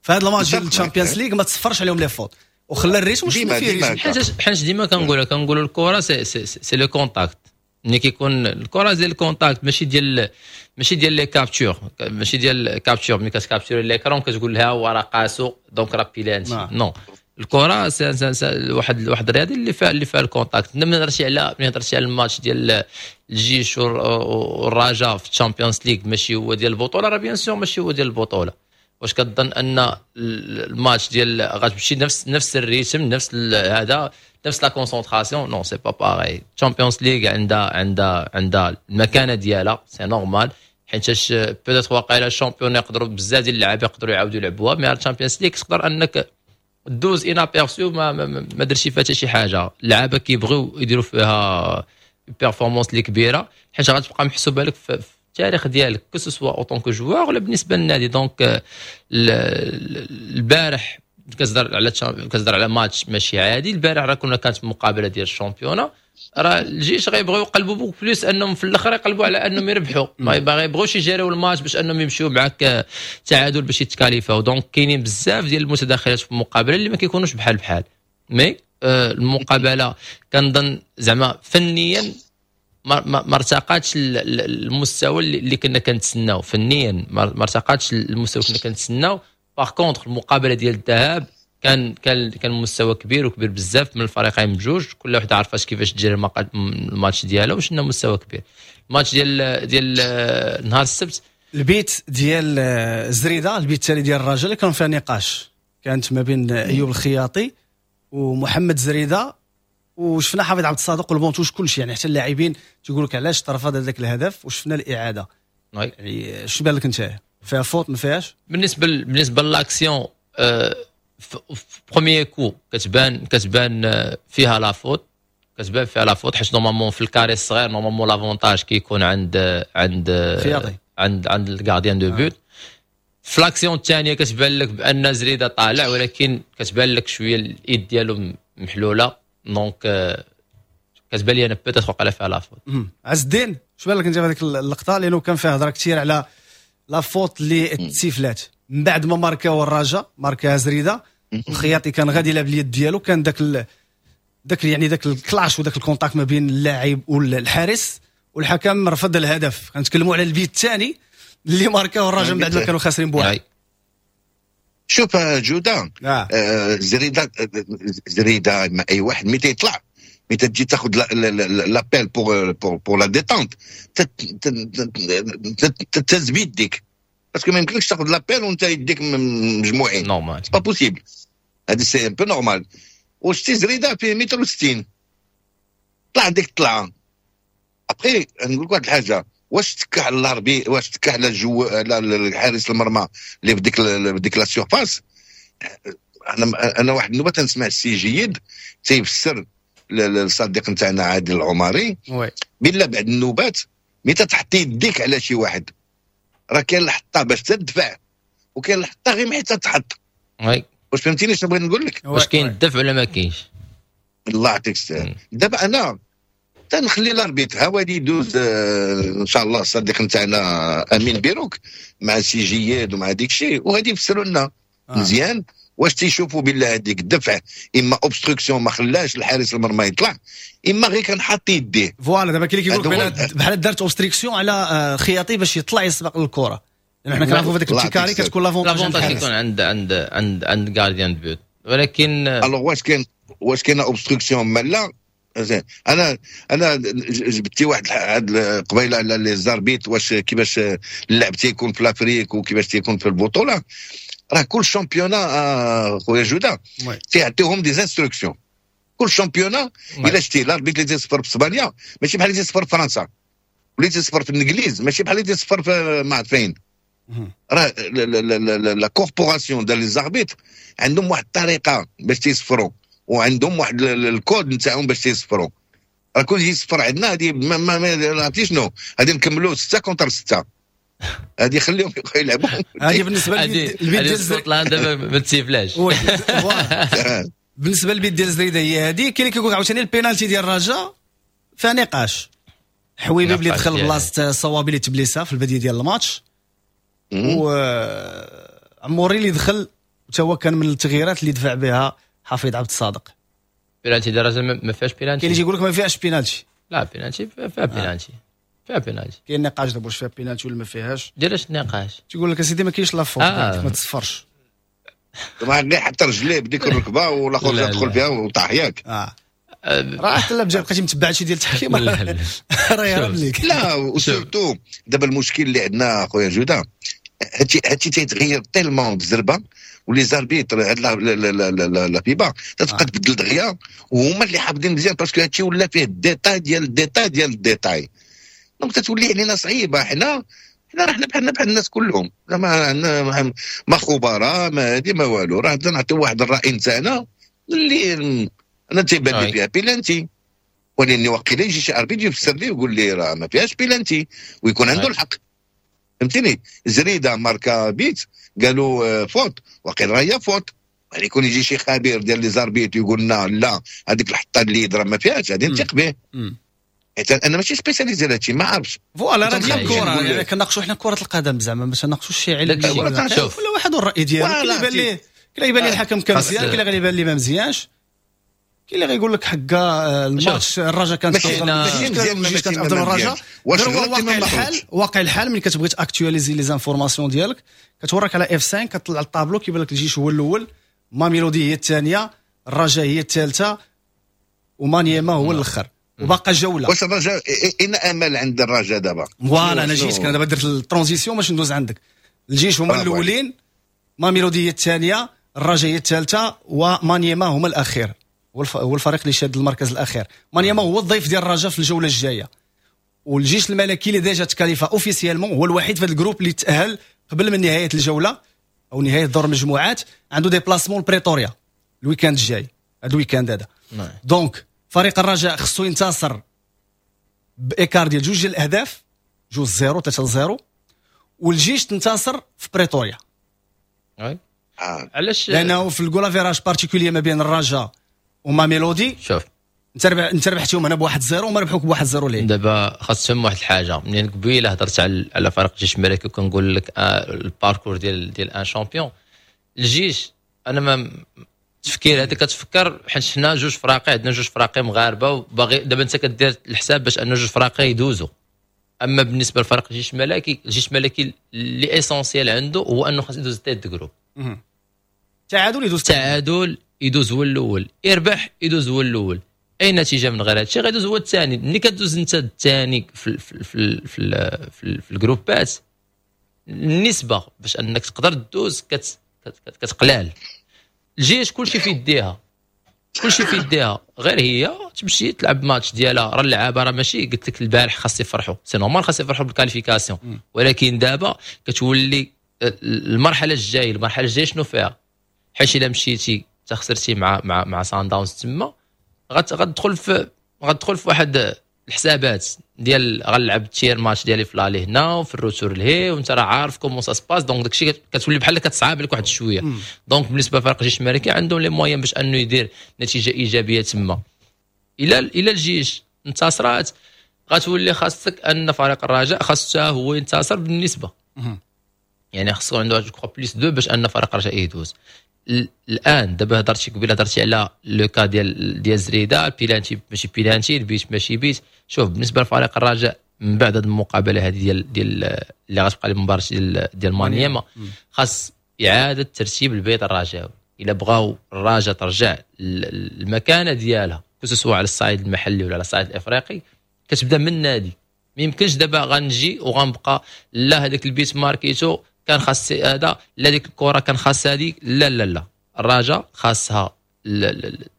فهذا الماتش ديال ال Champions League ما تصفرش عليهم les fautes وخلى ال rythme، وشفنا فيه rythme. حيت ديما كنقولوا الكره c'est le contact. ملي كيكون الكره ديال ال contact، ماشي ديال les captures، ماشي ديال capture. ملي كت capturer l'écran كتقول لها هو راه قاسو donc راه pénalty. non، الكره c'est واحد الرياضي اللي فيها ال contact. ملي هضرتي على الماتش ديال الجيش والرجاء في ال Champions League ماشي هو ديال البطوله، راه bien sûr ماشي هو ديال البطوله. واش كتظن ان الماتش ديال غتمشي نفس ال rythme، نفس هذا، نفس la concentration؟ non، c'est pas pareil. Champions League عندها المكانة ديالها، c'est normal، حيت peut-être واقيلا ال championnat يقدروا بزاف ديال اللعابه يقدروا يعاودوا يلعبوها، mais ال Champions League تقدر انك دوز inaperçu، ما درتي فيها حتى شي حاجه. اللعابه كيبغيو يديروا فيها performance اللي كبيره، حيت غتبقى محسوبة لك في التاريخ ديالك، que ce soit en tant que joueur ولا بالنسبة للنادي. donc البارح كتهضر على ماتش ماشي عادي. البارح راه كانت مقابله ديال ال championnat، راه الجيش غيبغيو يقلبوا beaucoup plus انهم في الاخر يقلبوا على انهم يربحوا، ما يبغوش يجريو الماتش باش انهم يمشيو معاك تعادل باش يتكاليفاو. donc كاينين بزاف ديال المتداخلات في المقابلة اللي ما كيكونوش بحال بحال، mais المقابلة كنظن زعما فنيا ما ارتقاتش المستوى اللي كنا كنتسناو. فنيا ما ارتقاتش المستوى اللي كنا كنتسناو. par contre المقابلة ديال الذهاب كان مستوى كبير وكبير بزاف من الفريقين بجوج. كل واحد عارف كيفاش تجري الماتش ديالو، وشنا مستوى كبير الماتش ديال نهار السبت. البيت ديال زريده، البيت الثاني ديال الرجاء، كان فيها نقاش، كانت ما بين ايوب الخياطي ومحمد زريده، وشفنا حفيظ عبد الصادق وال banc de touche، كلشي، يعني حتى اللاعبين تيقول لك علاش ترفض هذاك الهدف، وشفنا الاعاده. يعني شنو بان لك انت؟ فيها faute ما فيهاش؟ بالنسبه l'action في premier coup كتبان فيها la faute، كتبان فيها la faute، حيت normalement في ال carré الصغير normalement l'avantage كيكون عند خياطي. عند ال gardien de but. في l'action الثانية كتبان لك بان زريده طالع، ولكن كتبان لك شوية الايد ديالو محلوله، donc كتبان لي انا peut-être وقع فيها la faute. عز الدين، شو بان لك انت في هذيك اللقطه؟ لانه كان فيها هضره كثير على la faute اللي تسيفلات من بعد ما ماركاو الرجاء، ماركا زريده، الخياطي كان غادي يلعب اليد ديالو، كان ذاك يعني ذاك ال clash وذاك ال contact ما بين اللاعب والحارس، والحكم رفض الهدف. كنتكلموا على البيت الثاني اللي ماركاو الرجاء من بعد ما كانوا خاسرين بواحد. شوف جوده، زريده زريده ما اي واحد ملي تيطلع، ملي تجي تاخذ l'appel pour la détente، تهز بيديك، parce que ما يمكنلكش تاخذ l'appel وانت يديك مجموعين. normal. c'est pas possible، هذا c'est un peu normal. وشتي زريده فيه متر و60، طلع ديك الطلعه. après نقول لك واحد الحاجه، واش تكا على l'arbitre؟ واش تكا على الجو، على حارس المرمى اللي في ديك la surface؟ انا واحد النوبة تنسمع السي جيد تيفسر الصديق نتاعنا عادل العمري بالله بعد النوبات ملي تحط يديك على شي واحد، راه كاين الحطه باش تدفع وكاين الحطه غير حتى تحط. واش فهمتيني شنو بغيت نقول لك؟ واش كاين الدفع ولا ما كاينش؟ الله يعطيك السلام. دابا انا تنخلي l'arbitre ها غادي يدوز، ان شاء الله الصديق نتاعنا امين بيروك مع سي جياد ومع ديك الشيء، وغادي يفسروا لنا مزيان واش تيشوفوا بالله هذيك الدفع اما obstruction ما خلاش الحارس المرمى يطلع، اما غير كان حاط يديه. voilà، دابا كاين اللي كيقول لك بحال دارت obstruction على خياطي باش يطلع يسبق الكره، لان حنا كنعرفوا في داك ال carré كتكون l'avantage l'avantage يكون عند gardien de but، ولكن alors واش كاين obstruction ما لا؟ انا جبتي واحد هاد قبيلة على les arbitres، واش كيفاش اللعب تيكون في l'Afrique وكيفاش تيكون في البطوله. راه كل championnat خويا جوده تيعطيهم des instructions، كل championnat. الا شتي l'arbitre اللي تيصفر في اسبانيا ماشي بحال اللي تيصفر في فرنسا. واللي تيصفر في الانجليز ماشي بحال اللي تيصفر في ما عرفت فين. راه la corporation ديال les arbitres عندهم واحد الطريقة باش تيصفروا، وعندهم واحد الكود نتاعهم باش تيصفروا. راه كون يجي يصفر عندنا هذه ما عرفتي شنو، غادي نكملوا 6 contre 6، هذه خليهم يلعبوا. هذه بالنسبة للبيت ديال اسكتلندا ما تسيفلاش. بالنسبة للبيت ديال زريده هي هذه. كاين اللي كيقول عاوتاني البينالتي ديال الرجاء فيها نقاش. حويبي اللي دخل بلاصة صوابي اللي تبليسا في البداية ديال الماتش، و عموري اللي دخل حتى هو كان من التغييرات اللي دفع بها حفيظ عبد الصادق. بينالتي ديال الرجاء ما فيهاش بينالتي. كاين اللي يقول لك ما فيهاش بينالتي. لا بينالتي فيها بينالتي، فيها بينالتي. كاين نقاش دابا واش فيها بينالتي ولا ما فيهاش. ديراش النقاش؟ تيقول لك اسيدي ما كاينش la faute، ما تصفرش. ما غير حتى رجليه بديك الركبة والاخر دخل فيها وطاح ياك. راه حتى لا بقيتي متبع شي ديال التحكيم راه يهرب لك. لا و surtout دابا المشكل اللي عندنا خويا جوده، هادشي تيتغير tellement بالزربه، و les arbitres هاد la FIFA تتبقى تبدل دغيا، وهما اللي حافظين مزيان parce que هادشي ولا فيه ال détail ديال ال détail ديال ال détail. donc تتولي علينا صعيبة. حنا راه حنا بحالنا بحال الناس كلهم، ما ما خبراء ما هادي ما والو، راه نعطيو واحد الراي نتاعنا اللي انا تيبان لي فيها بيلانتي، ولاني وقيلا يجي شي arbitre يفسر لي ويقول لي راه ما فيهاش بيلانتي ويكون عنده الحق. فهمتيني؟ زريده ماركا بيت قالوا faute، وقيل راه هي faute. يعني يكون يجي شي خبير ديال les arbitres يقول لنا لا هذيك الحطه اللي راه ما فيهاش، غادي نثق به. حيت انا ماشي spécialisé هادشي ما عارفش. voilà راه ديال الكره، يعني كناقشوا حنا كره القدم زعما باش ناقشوا شي علم. كل واحد والراي ديالو. كاين اللي يبان ليه، كاين اللي يبان ليه الحكم كان مزيان، كاين اللي غيبان ليه ما مزيانش، كاين اللي غيقول لك حكا الماتش الرجاء كانت افضل، افضل الرجاء. واقع الحال، واقع الحال ملي كتبغي ت actualiser les informations ديالك كتوريك على F5، كتطلع الطابلو كيبان لك الجيش هو الاول، ماميلودي هي الثانية، الرجاء هي الثالثة، ومانيما هو الاخر، وباقا جولة. واش الرجاء ان امل عند الرجاء دابا؟ voilà انا جيت انا دابا درت ال transition باش ندوز عندك. الجيش هما الاولين، ماميلودي هي الثانية، الرجاء هي الثالثة، ومانيما هما الاخير، هو الفريق اللي شاد المركز الاخير. مانيما هو الضيف ديال الرجاء في الجولة الجاية، والجيش الملكي اللي déjà تكاليفا officiellement هو الوحيد في هذا ال groupe اللي تاهل قبل من نهاية الجولة او نهاية دور المجموعات، عنده déplacement لبريتوريا ال week-end الجاي، هذا ال week-end هذا. donc فريق الرجاء خصو ينتصر ب écart ديال 2 ديال الاهداف، 2-0 3-0، والجيش تنتصر في بريتوريا. علاش؟ لانه في ال goal average particulier ما بين الرجاء وما ميلودي، شوف انت ربحتيهم هنا ب 1-0 وما ربحوك ب 1-0 ليه. دابا خاص تفهم واحد الحاجة، منين قبيلة هضرت على فريق الجيش الملكي وكنقول لك ال parcours ديال un champion. الجيش انا ما التفكير هذا كتفكر حيت حنا جوج فراقي، عندنا جوج فراقي مغاربة، وباغي دابا انت كدير الحساب باش ان جوج فراقي يدوزوا. اما بالنسبة لفريق الجيش الملكي، الجيش الملكي اللي essentiel عنده هو انه خاص يدوز tête groupe. تعادل يدوز، تعادل يدوز هو الاول، يربح يدوز هو الاول، اي نتيجة من غير هادشي غيدوز هو الثاني. ملي كدوز انت الثاني في في في في, في, في الجروبات، النسبة باش انك تقدر تدوز كتقلال. الجيش كلشي في يديها، كلشي في يديها، غير هي تمشي تلعب ماتش ديالها. راه اللعابه راه ماشي قلت لك البارح خاص يفرحوا، c'est normal خاص يفرحوا بال qualification، ولكن دابا كتولي المرحلة الجاية. المرحلة الجاية شنو فيها؟ حيت الا مشيتي تخسرتي مع سان داونز تما غتدخل في واحد الحسابات ديال غنلعب tiers match ديالي في l'aller هنا وفي ال retour لهي، وانت راه عارف comment ça se passe. donc داكشي كتولي بحال كتصعب لك واحد شوية. donc بالنسبة لفريق الجيش الملكي عندهم les moyens باش انه يدير نتيجة ايجابية تما. الى الجيش انتصرات غتولي خاصك ان فريق الرجاء خاصو هو ينتصر بالنسبة، يعني خاصو عنده je crois plus 2 باش ان فريق الرجاء يدوز. الان دابا هضرتي قبيلة، هضرتي على le cas ديال زريده، البيلانتي ماشي بيلانتي، البيت ماشي بيت. شوف بالنسبة لفريق الرجاء من بعد هذه المقابلة هذه ديال اللي غتبقى المباراة ديال مانيما، خاص اعاده ترتيب البيت الرجاوي. الا بغاو الرجاء ترجع المكانة ديالها que ce soit على الصعيد المحلي ولا على الصعيد الافريقي، كتبدا من النادي. ما يمكنش دابا غنجي وغنبقى لا هذاك البيت ماركيتو كان خاص هذا، لا ديك الكره كان خاص هذيك، لا لا لا. الرجاء خاصها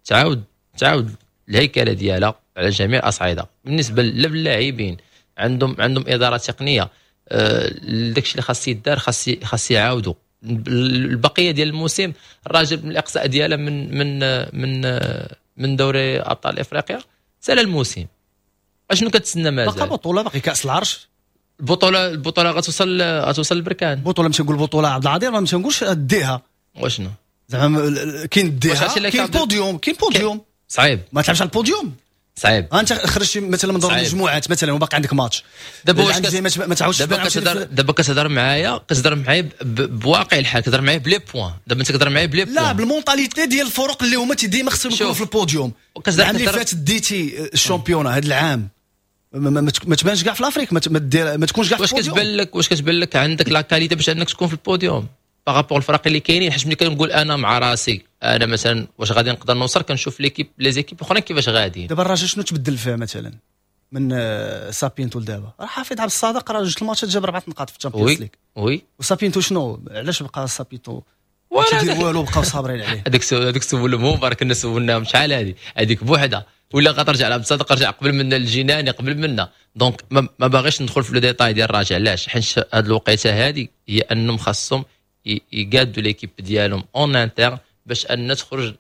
تعاود الهيكله ديالها على جميع الاصعدة، بالنسبة للاعبين. عندهم ادارة تقنيه. داكشي اللي خاص يدار خاص يعاودوا البقية ديال الموسم. الرجاء من الاقصاء ديالها من من من من دوري ابطال افريقيا سال الموسم، اشنو كتسنى مازال؟ باقا بطوله، باقي كاس العرش. البطوله غتوصل للبركان. بطوله مش نقول بطوله عبد العظيم، ما نقولش ديها. واشنو زعما كاين ديها، كاين بوديوم، كاين بوديوم. صعيب ما تلعبش على البوديوم، صعيب. انت خرجتي مثلا من دور المجموعات مثلا وباقي عندك ماتش دابا، واش ما تعاودش؟ دابا كتهضر معايا بواقع الحال، كتهضر معايا ب les points، دابا انت كتهضر معايا ب les points. لا، بال mentalité ديال الفرق اللي هما ديما خصهم يكونوا في البوديوم. العام اللي فات ديتي ال championnat، هذا العام ما تبانش كاع في l'Afrique، ما تكونش كاع في البوديوم. واش كتبان لك عندك la qualité باش انك تكون في ال podium par rapport الفرق اللي كاينين؟ حيت ملي كنقول انا مع راسي، انا مثلا واش غادي نقدر نوصل، كنشوف l'équipe les équipes اخرين كيفاش غاديين. دابا الرجاء شنو تبدل فيها مثلا من سابينتو لدابا؟ راه حافظ عبد الصادق راه جوج الماتشات جاب 4 نقاط في ال Champions League. oui. وسابينتو شنو؟ علاش بقى سابينتو ولا تيدير والو؟ بقاو صابرين عليه. هذاك السؤال مبارك كنا سولناهم شحال هذه، هذيك بوحده ولا غترجع لعبد الصادق، رجع قبل منا الجناني قبل منا. donc ما باغيش ندخل في les détails ديال الرجاء. علاش؟ حيت هذه الوقيته هذه هي انهم خاصهم يقادوا l'équipe ديالهم en interne باش ان تخرج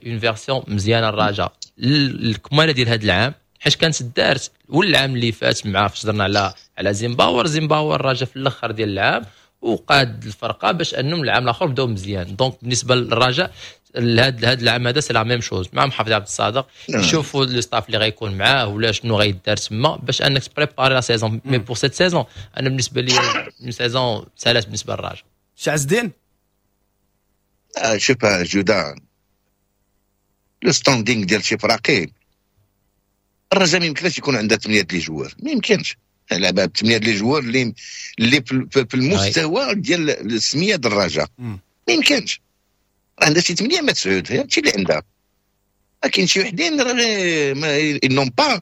une version مزيانه الرجاء الكماله ديال هذا العام، حيت كانت دارت والعام اللي فات مع فاش درنا على زيمباور. زيمباور الرجاء في الاخر ديال العام وقاد الفرقة باش انهم العام الاخر بداو مزيان. donc بالنسبة للرجاء هذا العام هذا c'est la même chose مع محافظ عبد الصادق. يشوفوا le staff اللي غيكون معاه ولا شنو غيدار تما باش انك ت préparer la saison. mais pour cette saison، انا بالنسبة لي une saison سالات بالنسبة للرجاء. عز الدين. شوف جودا، le standing ديال شي فراقي، الرجاء ما يمكنش يكون عندها 8 les joueurs، ما يمكنش لعبها ب 8 les joueurs اللي في المستوى ديال السمية ديال الرجاء، ما يمكنش. عندها شي 8 ما 9، هادشي اللي عندها. كاين شي وحدين ما n'ont pas،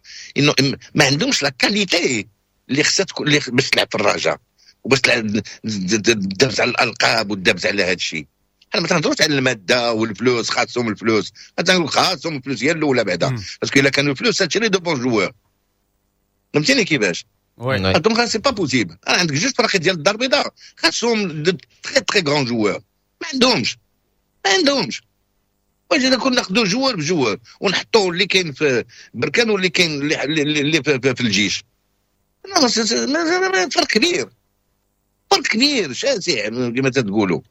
ما عندهمش la qualité اللي خصها تكون اللي باش تلعب في الرجاء وباش تلعب تدابز على الالقاب وتدابز على هذا الشيء. حنا ما تنهضروش على المادة والفلوس، خاصهم الفلوس، تنقول خاصهم الفلوس هي الاولى بعدا، parce que الا كانوا الفلوس تشري de bons joueurs، فهمتيني كيفاش؟ donc c'est pas possible. عندك جوج فرق ديال الدار البيضاء خاصهم de très très grands joueurs، ما عندهمش، ما عندهمش. واش اذا كنا ناخذوا joueur ب joueur ونحطوا اللي كاين في بركان واللي كاين اللي في الجيش، فرق كبير، فرق كبير شاسع كما تقولوا،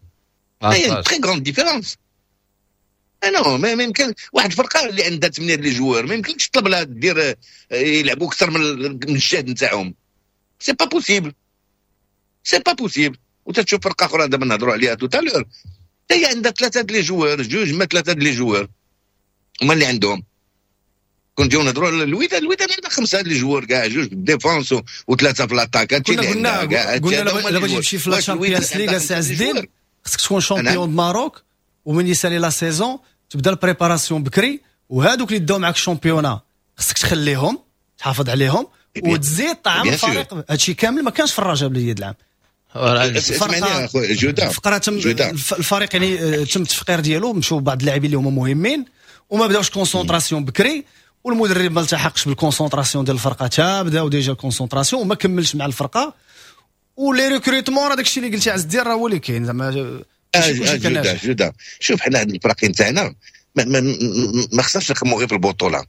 très grande différence. non، ما يمكن واحد الفرقة اللي عندها 8 les joueurs ما يمكنش تطلب لها دير يلعبوا اكثر من الجهد نتاعهم، c'est pas possible، c'est pas possible. وتتشوف فرقه اخرى دابا نهضروا عليها tout à l'heure، هي عندها ثلاثة les joueurs، جوج ما ثلاثة les joueurs هما اللي عندهم. كون نجيو نهضروا على الوداد، الوداد عندها خمسة les joueurs كاع، جوج في ال défense وثلاثة في l'attaque. كنا قلنا لما تمشي في la Champions League سي عز الدين خصك تكون champion du Maroc، ومن يسالي la saison تبدا ال préparation بكري، وهادوك اللي داو معاك ال championnat خصك تخليهم، تحافظ عليهم وتزيد طعم الفريق. هادشي كامل ما كانش في الرجاء بلي العام. اسمعني اخويا جوده. الفقرة تم الفريق يعني تم التفقير ديالو، مشاو بعض اللاعبين اللي هما مهمين وما بداوش concentration بكري، والمدرب ما التحقش بال concentration ديال الفرقه، تا بداو déjà concentration وما كملش مع الفرقه. و les recrutements راه داكشي اللي قلتي عز الدين راه هو اللي كاين زعما. جوده جوده، شوف، حنا هاد الفراقين تاعنا ما خصناش نخمو غير في البطوله.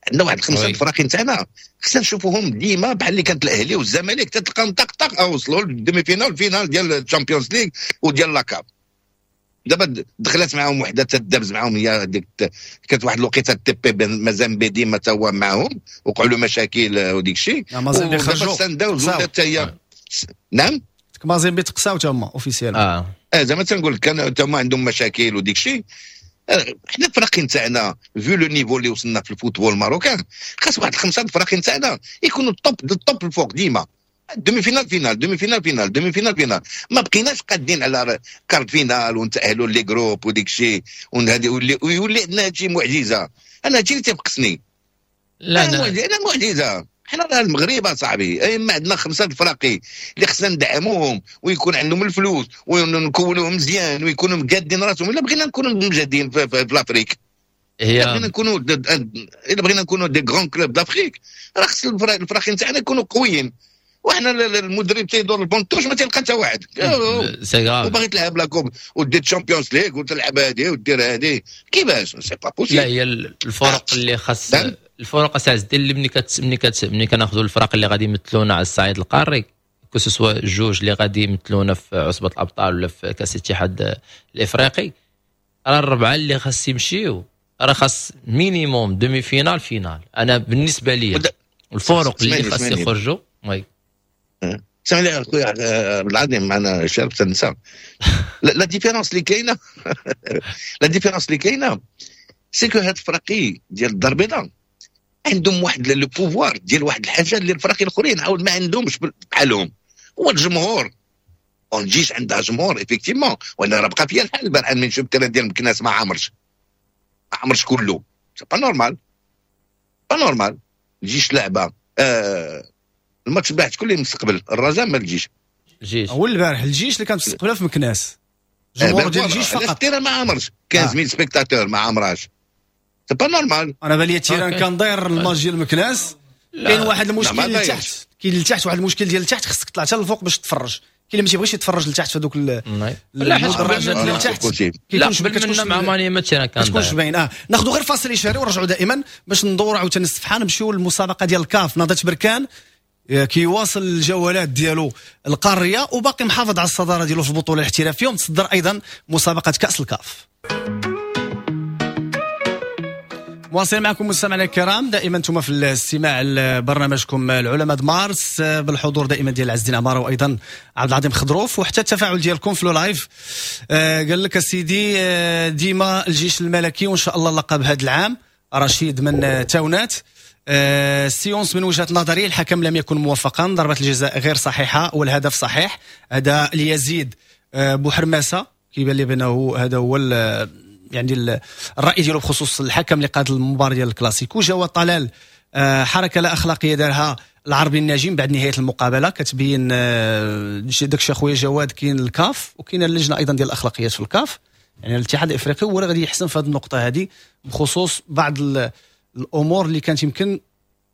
عندنا واحد الخمسة الفراقين تاعنا خصنا نشوفوهم ديما، بحال اللي كانت الاهلي والزمالك، تلقاهم طق طق وصلوا لل demi-finale، finale ديال ال Champions League وديال la CAF. دابا دخلت معاهم وحده تدابز معاهم، هي ديك كانت واحد الوقيته تي بي مازامبي ديما تا هو معاهم، وقعوا له مشاكل وديك الشيء. مازامبي خرجوا. سان داونز حتى هي، نعم. مازامبي تقساو تما officiel. اه، زعما تنقول كانوا تما عندهم مشاكل وديك الشيء. حنا الفراقين تاعنا، vu le niveau اللي وصلنا في ال football marocain، خاص واحد الخمسة الفراقين تاعنا يكونوا top du top الفوق ديما، demi-finale finale، demi-finale finale، demi-finale finale. ما بقيناش قادين على quart de finale ونتاهلوا les groupes وديك الشيء، ويولي عندنا هادشي معجزه. انا هادشي اللي تيفقسني. لا لا، انا معجزه. حنا راه المغرب اصاحبي، اما عندنا خمسة الفراقي اللي خصنا ندعموهم ويكون عندهم الفلوس ونكونوهم مزيان ويكونوا مقادين راسهم الا بغينا نكونوا مجهدين في l'Afrique. هي الا بغينا نكونوا des grands clubs d'Afrique راه خص الفراقي نتاعنا يكونوا قويين، وحنا المدرب تيدور ال banc de touche ما تلقى حتى واحد. c'est grave. وباغي تلعب la coupe ودير Champions League وتلعب هذه ودير هذه، كيفاش؟ c'est pas possible. لا هي الفرق اللي خاص الفرق اساس ديال اللي ملي كناخذوا الفرق اللي غادي يمثلونا على الصعيد القاري، que ce soit جوج اللي غادي يمثلونا في عصبه الابطال ولا في كاس الاتحاد الافريقي، راه الربعه اللي خاص يمشيو راه خاص minimum demi-finale finale. انا بالنسبة لي الفرق اللي خاص يخرجوا oui. سمع لي اخويا عبد العظيم، معنا شارف تنسى la différence اللي كاينه، la différence اللي كاينه c'est que هاد الفراقي ديال الدار البيضاء عندهم واحد le pouvoir ديال واحد الحاجة اللي الفراقي الاخرين عاود ما عندهمش بحالهم، هو الجمهور. الجيش عندها جمهور effectivement، وانا راه بقى فيا الحال البارح من شفت ال terrain ديال مكناس ما عمرش، ما عمرش كله. c'est pas normal، pas normal. الجيش لعبه الماتش البارح شكون اللي مستقبل؟ الرجاء ما الجيش؟ الجيش. هو البارح الجيش اللي كان مستقبله في مكناس، جمهور ديال الجيش فقط. ال terrain ما عمرش 15000 spectateurs ما عمراش، c'est pas normal. انا بالي ال terrain كان داير الماتش ديال مكناس. كاين واحد المشكل لتحت، كاين لتحت واحد المشكل ديال لتحت، خصك تطلع حتى للفوق باش تتفرج. كاين اللي ما تيبغيش يتفرج لتحت في هذوك المدرجات اللي لتحت. لا قبل منا مع ماني ما terrain كان كتكونش باين. ناخذ غير فاصل اشهاري ونرجعوا دائما باش ندوروا عاوتاني الصفحة، نمشيو للمسابقه ديال الكاف. نهضة بركان كيواصل الجولات ديالو القارية وباقي محافظ على الصدارة ديالو في البطولة الاحترافية، ومتصدر ايضا مسابقة كاس الكاف. مواصلين معكم مستمعينا الكرام، دائما انتم في الاستماع لبرنامجكم العلماء د مارس بالحضور دائما ديال عز الدين عمارة وايضا عبد العظيم خضروف، وحتى التفاعل ديالكم في le live. قال لك سيدي ديما الجيش الملكي وان شاء الله اللقب هذا العام. رشيد من تاونات. سيونس من وجهة نظري الحكم لم يكن موفقا، ضربة الجزاء غير صحيحة والهدف صحيح. هذا ليزيد بوحرماسة كيبان لي بأنه هذا هو يعني الرأي ديالو بخصوص الحكم اللي قاد المباراة ديال الكلاسيكو. جواد طلال حركة لا أخلاقية دارها العربي الناجم بعد نهاية المقابلة، كتبين داكشي اخويا جواد. كاين الكاف وكاين اللجنة أيضا ديال الأخلاقيات في الكاف، يعني الاتحاد الإفريقي هو اللي غادي يحسن في هذه النقطة هذه بخصوص بعض الامور اللي كانت يمكن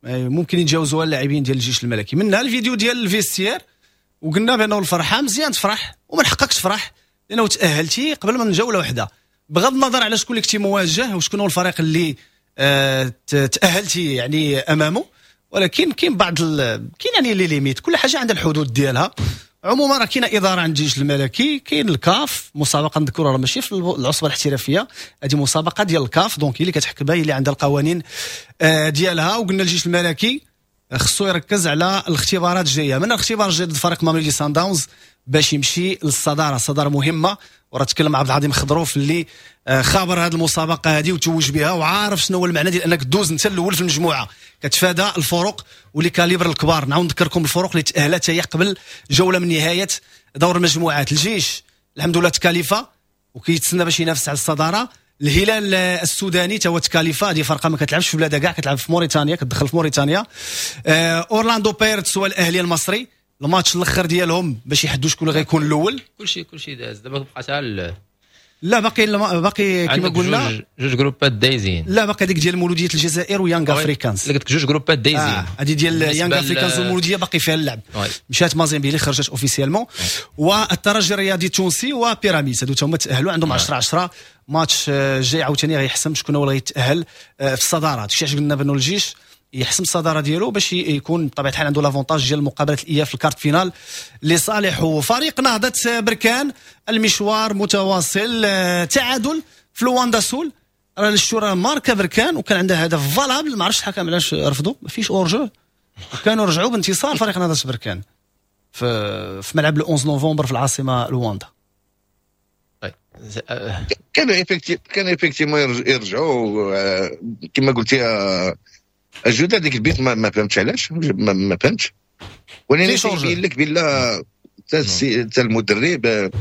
ممكن يتجاوزوها اللاعبين ديال الجيش الملكي. منها الفيديو ديال ال vestiaire، وقلنا بانه الفرحة مزيان تفرح ومن حقك تفرح لانه تاهلتي قبل من جولة واحدة، بغض النظر على شكون اللي كنتي مواجه وشكون هو الفريق اللي تاهلتي يعني امامه، ولكن كاين بعض كاين يعني les limites، كل حاجة عندها الحدود ديالها. عموما راه كاينه ادارة عند الجيش الملكي، كاين الكاف، مسابقة نذكرها راه ماشي في العصبة الاحترافية، هذه مسابقة ديال الكاف، donc هي اللي كتحكمها، هي اللي عندها القوانين ديالها. وقلنا الجيش الملكي خصو يركز على الاختبارات الجاية، من الاختبار الجاي ضد فريق ماميلودي سان داونز باش يمشي للصداره، الصدارة مهمة. وراه تكلم عبد العظيم خضروف اللي خابر هذه المسابقة هذه وتوج بها وعارف شنو هو المعنى ديال انك دوز انت الاول في المجموعة، كتفادى الفرق و les calibres الكبار. نعاود نذكركم الفرق اللي تاهلت هي قبل جولة من نهاية دور المجموعات. الجيش الحمد لله تكاليفا وكيتسنى باش ينافس على الصدارة. الهلال السوداني تا هو تكاليفا، هذه فرقه ما كتلعبش في بلادها كاع، كتلعب في موريتانيا، كتدخل في موريتانيا. اورلاندو بيرتس والاهلي المصري الماتش الاخر ديالهم باش يحدوا شكون اللي غيكون الاول. كلشي داز دابا، بقى حتى لا باقي كما قلنا جوج groupات دايزين. لا باقي ديك ديال مولوديه الجزائر ويانغ افريكانز. قلت لك جوج groupات دايزين. هذه ديال يانغ افريكانز والمولوديه باقي فيها اللعب. مشات مازيمبي اللي خرجت officiellement، والترجي الرياضي التونسي وبيراميدز هادو هما تاهلوا عندهم 10-10. ماتش الجاي عاوتاني غيحسم شكون هو اللي غيتاهل في الصدارة. داكشي علاش قلنا بانه الجيش يحسم الصدارة ديالو باش يكون بطبيعة الحال عنده l'avantage ديال مقابله الاياب في ال quart de finale لصالحه. فريق نهضة بركان المشوار متواصل، تعادل في لواندا سول، راه الشورى ماركا بركان وكان عندها هدف valable، ما عرفتش الحكم علاش رفضوا، ما فيش hors-jeu، وكانوا رجعوا بانتصار فريق نهضة بركان في ملعب 11 نوفمبر في العاصمة لواندا. كانوا effectivement يرجعوا كما قلتي الجودة ديك البيت ما فهمتش علاش، ما فهمتش، ولكن تيبين لك بلا حتى المدرب بحال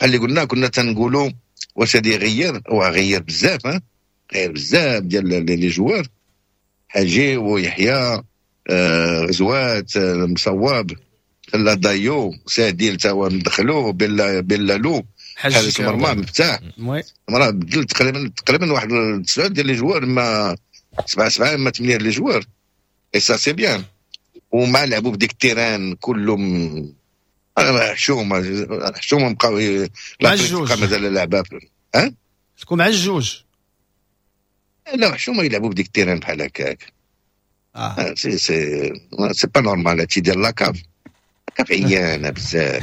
اللي قلنا كنا تنقولوا واش هادي يغير، هو غير بزاف، غير بزاف ديال les joueurs، حاجي ويحيى غزوات مصواب خلا دايو ساديل تا هو مدخلو بلالو حارس المرمى مفتاح، راه بدل تقريبا واحد 9 ديال les joueurs، ما 7 ما 8 les joueurs، et ça c'est bien. ومع لعبوا بديك ال terrain كلهم حشومه حشومه، بقاو لا مازال لعبه ها تكون مع الجوج. لا حشومه يلعبوا بديك ال terrain بحال هكاك. c'est c'est c'est pas normal. هادشي ديال la CAF، CAF عيانه بزاف.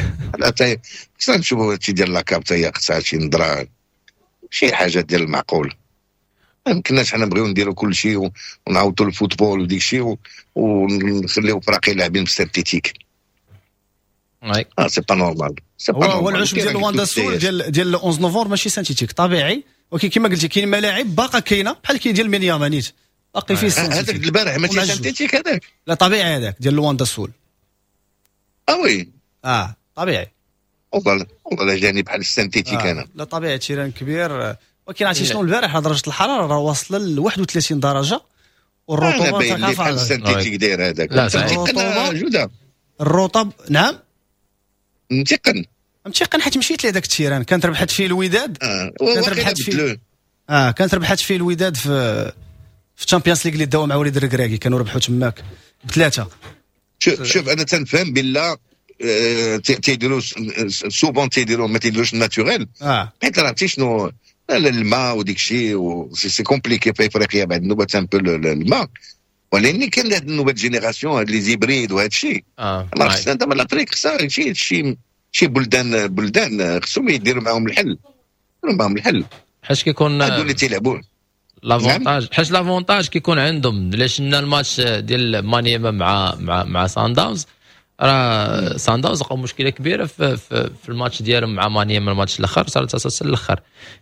خصنا نشوفوا هادشي ديال la CAF حتى هي خصها شي نظره، شي حاجة ديال المعقول. ما يمكنناش حنا نبغيو نديرو كل شيء ونعاودوا ال football وديك الشيء ونخليو فراقي لاعبين بال synthétique. C'est pas normal. هو العشب ديال لواندا سول ديال 11 نوفمبر ماشي synthétique، طبيعي، ولكن كما قلتي كاين ملاعب باقا كاينه بحال كاين ديال مينياما نيت باقي فيه ال synthétique. هذاك البارح ماشي synthétique هذاك؟ لا طبيعي هذاك ديال لواندا سول. Oui طبيعي. والله والله جاني بحال ال synthétique انا. لا طبيعي، terrain كبير، ولكن عرفتي شنو، البارح درجه الحرارة راه واصله ل 31 درجه والرطوبة تاع بحال ال synthétique داير هذاك. لا الرطوبة جوده الرطب. نعم متيقن متيقن، حيت مشيت لهذاك ال terrain كانت ربحت فيه الوداد. كانت ربحت فيه كانت ربحت فيه الوداد في Champions League اللي داو مع وليد الركراكي، كانوا ربحوا تماك بثلاثة. شوف انا تنفهم بالله تيديروا souvent تيديروا ما تيديروش naturel، حيت راه عرفتي شنو الماء وديك الشيء، c'est compliqué في افريقيا بعد النوبة un peu الماء، ولكن كاين هاد ال nouvelle génération هاد les hybrides وهاد الشيء. ما خصنا دابا l'Afrique خصها شي بلدان خصهم يديروا معاهم الحل، يديروا معاهم الحل. حيت كيكون هادو اللي تيلعبوا l'avantage، حيت l'avantage كيكون عندهم. علاش شفنا الماتش ديال مانيما مع سان داونز، راه سان داونز لقاو مشكلة كبيرة في الماتش ديالهم مع مانيما، الماتش الاخر صار تسلسل الاخر.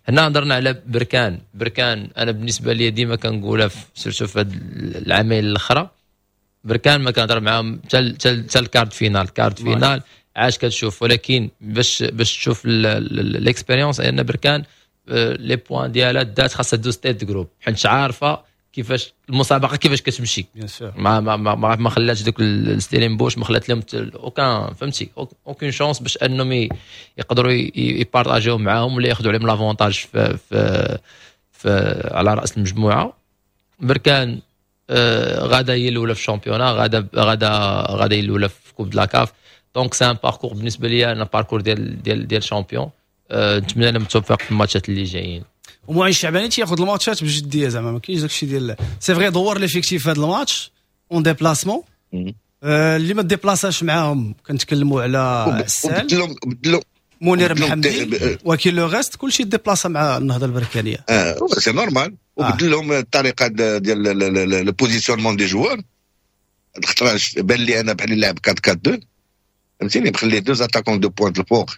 هنا هضرنا على بركان. بركان انا بالنسبة لي ديما كنقولها surtout في هاد العامين الاخرى، بركان ما كنهضر معاهم حتى ال quart de finale، quart de finale عاش كتشوف، ولكن باش تشوف l'expérience ان بركان les points ديالها دات خاصها دوز tête groupe، حيت عارفه كيفاش المسابقة كيفاش كتمشي. ما ما ما, ما خلاتش دوك الستيلينبوش، ما خلات لهم aucun، فهمتي، aucune chance باش انهم يقدروا يبارطاجيو معاهم ولا ياخذوا عليهم l'avantage في على راس المجموعة. بركان غادا هي الاولى في ال championnat، غادا هي الاولى في coupe de la CAF، donc c'est un parcours بالنسبة لي انا parcours ديال champion. نتمنى لهم التوفيق في الماتشات اللي جايين. ومعين الشعباني تياخذ الماتشات بجديه، زعما ما كاينش داكشي ديال c'est vrai دور l'effectif في هذا الماتش en déplacement، اللي ما ديبلاساش معاهم كنتكلموا على عسال منير محمدي، ولكن le reste كلشي ديبلاسا مع النهضة البركانيه. C'est normal. وبدل لهم الطريقة ديال le positionnement des joueurs. الخطرة بان لي انا بحال لاعب 4 4 2، فهمتيني، مخلي deux attaquants de pointe الفوق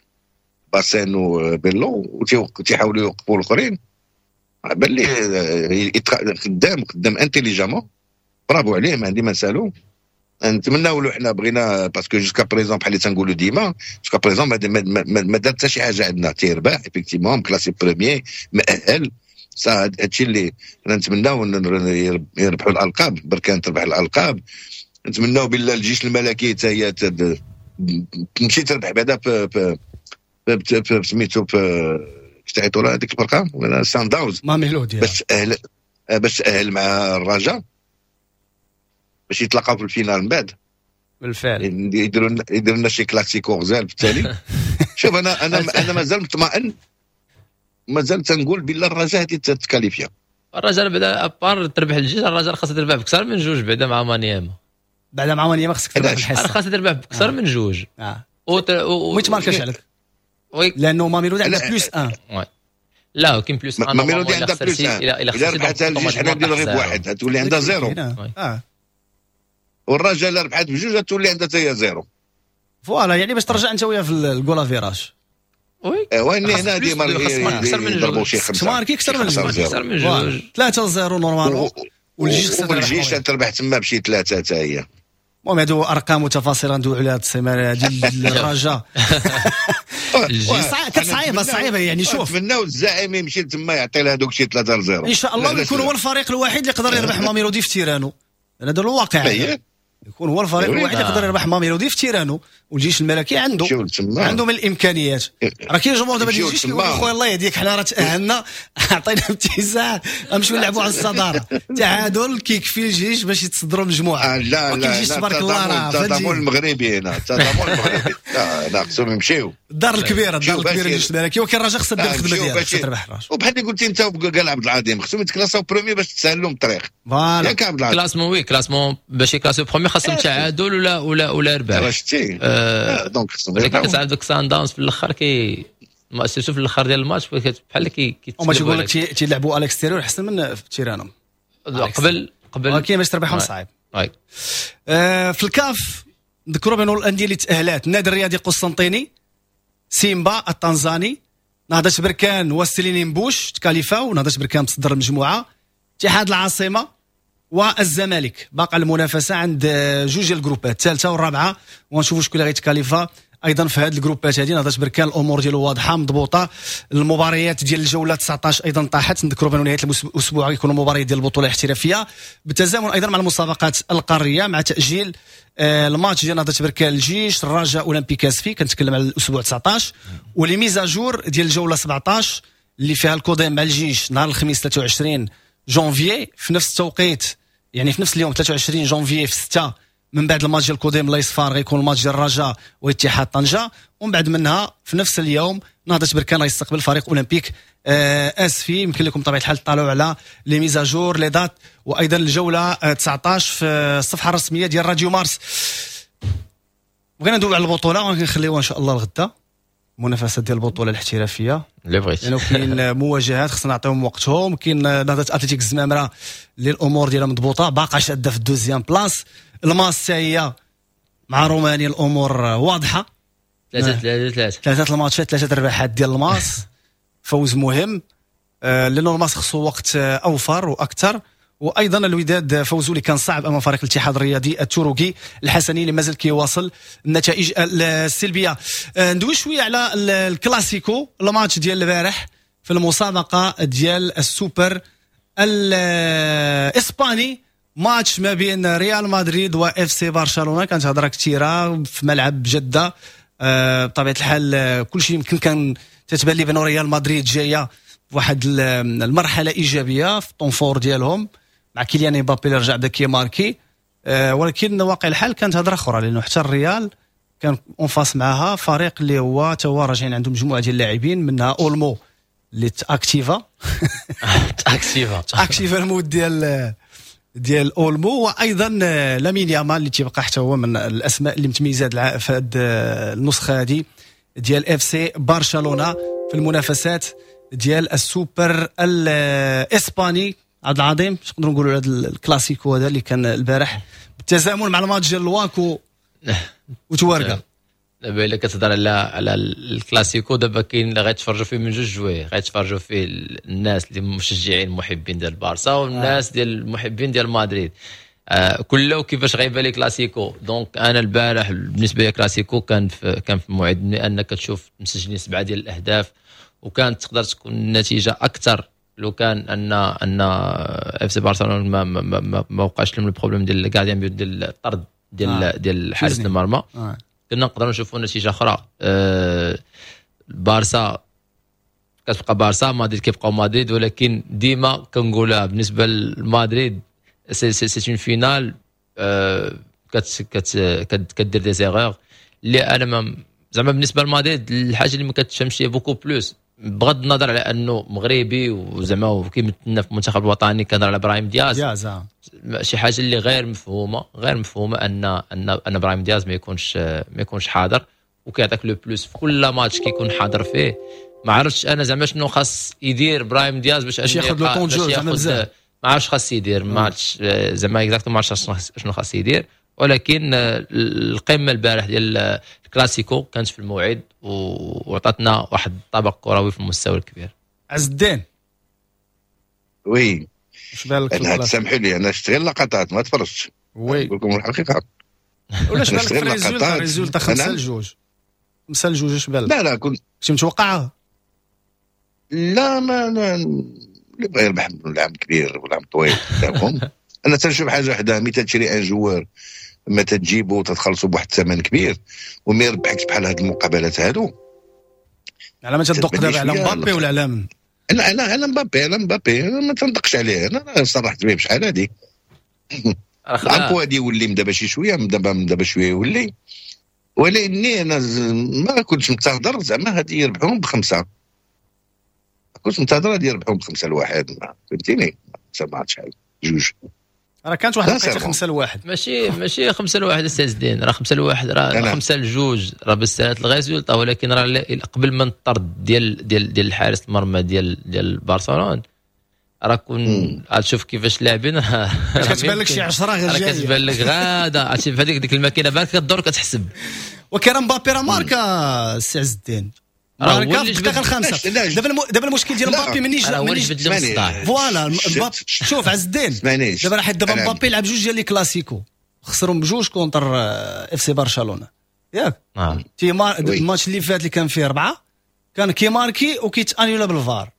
باسين وبيلو وتيحاولوا يوقفوا الاخرين. بان لي خدام intelligemment، bravo عليه، ما عندي ما نسالو. نتمناو له، حنا بغينا parce que jusqu'à présent بحال اللي تنقولوا ديما jusqu'à présent ما دار حتى شي حاجة عندنا، تيربح effectivement classé premier مأهل. هادشي اللي حنا نتمناو، يربحوا الالقاب، بركان تربح الالقاب. نتمناو بالله الجيش الملكي حتى هي تمشي تربح بعدا في سميتو في تعيطوا لها هذيك الفرقة ولا سان داونز ماميلودي باش تاهل مع الرجاء باش يتلاقاو في ال finale من بعد. بالفعل يديروا لنا شي كلاسيكو غزال في التالي. شوف انا مازال مطمئن، مازال تنقول بالله الرجاء هذه تكاليفيا. الرجاء بعدا à part تربح الجيش، الرجاء خاصها تربح بكثر من جوج بعدا مع مانياما. بعدا مع مانياما خصك تربح الحصه. خاصها تربح بكثر من جوج. وما يتماركاش عليك لانه ماميلودي عندها plus 1. لا كاين plus 1. ماميلودي عندها plus 1، الا ربحتها الجيش حنا نديرو غير بواحد تولي عندها zéro، والرجاء الا ربحت بجوج تولي عندها حتى هي zéro. Voilà، يعني باش ترجع انت وياه في ال goal average. Oui وين هنا ديما يضربوا شي خمسه. ماركي اكثر من جوج، اكثر من جوج. 3-0 normalement. والجيش والجيش تربح تما بشي ثلاثة حتى هي. المهم هادو ارقام وتفاصيل غندويو عليها هاد السيمانة ديال الرجاء. كانت صعيبة صعيبه، يعني شوف نتمناو الزعيم يمشي تما يعطي لها دوك شي 3-0. ان شاء الله يكون هو الفريق الوحيد اللي يقدر يربح ماميلودي في تيرانو، هذا الواقع. يكون هو الفريق الوحيد اللي يقدر يربح ماميلودي في terrain و، والجيش الملكي عنده من الامكانيات. راه كاين جمهور دابا ديال الجيش كيقول خويا الله يهديك، حنا راه تاهلنا، عطينا اتساع، نمشيو نلعبوا على الصدارة. تعادل كيكفي الجيش باش يتصدروا مجموعة. لا لا، الجيش تبارك الله راه التضامن المغربي هنا، التضامن المغربي، لا خصهم يمشيو. الدار الكبيرة، الدار الكبيرة الجيش الملكي، ولكن الرجاء خصها دير الخدمة ديالها، خصها تربح الرجاء. وبحال اللي قلتي انت وقال عبد العظيم، خصهم يتكلاساو premier باش تسهل لهم الطريق. voilà ياك عبد العظيم؟ classement، oui، classement باش يكلاسيو premier خاصهم تعادل ولا ربح. شتي donc خصهم، ولكن كتعرف دوك سان داونز في الاخر كي surtout في الاخر ديال الماتش بحال كي وما تيقول لك تيلعبوا à l'extérieur احسن من في terrain هم قبل، ولكن باش تربحهم صعيب. في الكاف نذكروا بأن الاندية اللي تاهلات: النادي الرياضي قسنطيني، سيمبا التنزاني، نهضة بركان وستيلينبوش تكاليفاو، نهضة بركان تصدر المجموعه، اتحاد العاصمة والزمالك. باقى المنافسة عند جوج ديال ال groupes، الثالثة والرابعه، ونشوفوا شكون اللي غيتكاليفا ايضا في هذه ال groupes هذه. نهضة بركان الامور ديالو واضحة مضبوطه. المباريات ديال الجولة 19 ايضا طاحت. نذكروا بان نهاية الاسبوع غيكونوا مباريات ديال البطولة الاحترافية بالتزامن ايضا مع المسابقات القاريه، مع تاجيل الماتش ديال نهضة بركان الجيش، الرجاء اولمبيك اسفي، كنتكلم على الاسبوع 19، و les mises à jour ديال الجولة 17 اللي فيها الكوديم مع الجيش نهار الخميس 23 جونفيي في نفس التوقيت، يعني في نفس اليوم 23 جونفيي في 6، من بعد الماتش ديال الكوديم الله يصفار غيكون الماتش ديال الرجاء واتحاد طنجه، ومن بعد منها في نفس اليوم نهضة بركان غيستقبل فريق اولمبيك اسفي. يمكن لكم بطبيعة الحال تطالعوا على les mises à jour، les dates، وايضا الجولة 19 في الصفحة الرسمية ديال راديو مارس. بغينا ندوي على البطوله، ونخليوها ان شاء الله الغدا، المنافسات ديال البطولة الاحترافية اللي بغيت، لانه كاين مواجهات خصنا نعطيهم وقتهم. كاين نهضة اتلتيك الزمامره اللي الامور ديالها مضبوطه، باقا شاده في ال deuxième place. الماس هي مع رومانيا الامور واضحه، 3-3-3، ثلاثة الماتشات، ثلاثة الرباحات ديال الماس، فوز مهم، لانه الماس خصو وقت اوفر واكثر. وايضا الوداد فوزوا اللي كان صعب امام فريق الاتحاد الرياضي التروكي الحسني اللي مازال كيواصل النتائج السلبيه. ندوي شوية على الكلاسيكو، الماتش ديال البارح في المسابقة ديال السوبر الاسباني، ماتش ما بين ريال مدريد واف سي برشلونه. كانت هضره كثيرة في ملعب جده، بطبيعة الحال كل شيء يمكن كان تتبان لي بان ريال مدريد جاية واحد المرحلة ايجابية في temps fort ديالهم مع كيليان امبابي اللي رجع بدا كيماركي، ولكن واقع الحال كانت هضره اخرى، لانه حتى الريال كان en face معاها فريق اللي هو تا هو راجعين عنده مجموعة ديال اللاعبين، منها اولمو اللي تاكتيفا تاكتيفا تاكتيفا ال mode ديال اولمو، وايضا لامين يامال اللي تيبقى حتى هو من الاسماء اللي متميزة في هذه النسخة هذه ديال اف سي برشلونه في المنافسات ديال السوبر الاسباني. عبد العظيم، اش نقدروا نقولوا على هذا الكلاسيكو هذا اللي كان البارح بالتزامن مع الماتش ديال الواكو وتوارقه؟ دابا الا كتهضر على الكلاسيكو، دابا كاين اللي غيتفرجوا فيه من جوج جوايه، غيتفرجوا فيه الناس اللي مشجعين محبين ديال البارسا والناس ديال المحبين ديال مدريد، كله كيفاش غيبان لي كلاسيكو. donc انا البارح بالنسبة لي كلاسيكو كان في موعد، لانك كتشوف مسجلين 7 ديال الاهداف، وكانت تقدر تكون النتيجة اكثر لو كان ان اف سي برشلونه ما وقعش لهم ال problème ديال ال gardien but، ديال الطرد ديال حارس المرمى. كنا نقدروا نشوفوا نتيجة اخرى. بارسا كتبقى بارسا، مدريد كيبقاو مدريد، ولكن ديما كنقولها بالنسبة لمدريد c'est une finale كت كدير des erreurs اللي انا ما زعما بالنسبة لمدريد الحاجة اللي ما كتفهمش beaucoup plus، بغض النظر على انه مغربي وزعما وكيمثلنا في المنتخب الوطني، كنهضر على ابراهيم دياز. دياز. شي حاجة اللي غير مفهومه، غير مفهومه ان ابراهيم دياز ما يكونش حاضر وكيعطيك le plus في كل ماتش كيكون حاضر فيه. ما عرفتش انا زعما شنو خاص يدير ابراهيم دياز باش ياخذ le temps de jeu زعما بزاف. ما عرفتش خاص يدير، ما عرفتش زعما exactement ما عرفتش شنو خاص يدير، ولكن القمه البارح ديال الكلاسيكو كانت في الموعد وعطاتنا واحد الطبق كروي في المستوى الكبير. عز الدين. oui. اش بالك؟ انا تسامحوا لي، انا شفت غير لقطات، ما تفرجتش. oui. نقول لكم الحقيقه. ولا اش بالك في résultat؟ résultat 5-2، 5-2، اش بالك؟ لا لا، كنت كنت متوقعها؟ لا، ما اللي بغى يربح العام كبير والعام طويل قدامهم. انا تنشوف حاجة وحده، ملي تشري un joueur ما تجيبو تتخلصوا بواحد الثمن كبير وما يربحكش بحال هاد المقابلات هادو. على ما تدق دابا على مبابي ولا على من؟ لا على مبابي، على مبابي ما تندقش عليه، انا صرحت به بشحال هادي. العفو هادي يولي من دابا شي شوية، من دابا شوية يولي، ولكني انا ما كنتش منتظر زعما هادي يربحوهم بخمسة، كنت منتظر غادي يربحوهم ب5-1، فهمتيني؟ ما عرفتش شحال جوج، راه كانت واحد الوقيته 5-1، ماشي 5-1 استاذ الدين، راه 5-1 راه 5-2 راه بالسالات ال résultat، ولكن راه قبل من الطرد ديال ديال ديال الحارس المرمى ديال برشلونة راه كون غتشوف كيفاش لاعبين كتبان لك شي 10 غير جاية، كتبان لك غاده عرفتي في هذيك ديك الماكينة بالك كدور كتحسب. وكرا مبابي راه ماركا السي عز الدين، ماركا في الدقيقة الخامسة. دابا المشكل ديال مبابي مني voilà مبابي، شوف عز الدين دابا راه دابا مبابي لعب جوج ديال les classicos، خسرهم بجوج contre FC برشلونة ياك. الماتش اللي فات اللي كان فيه 4 كان كيماركي وكيتانيولا بالفار،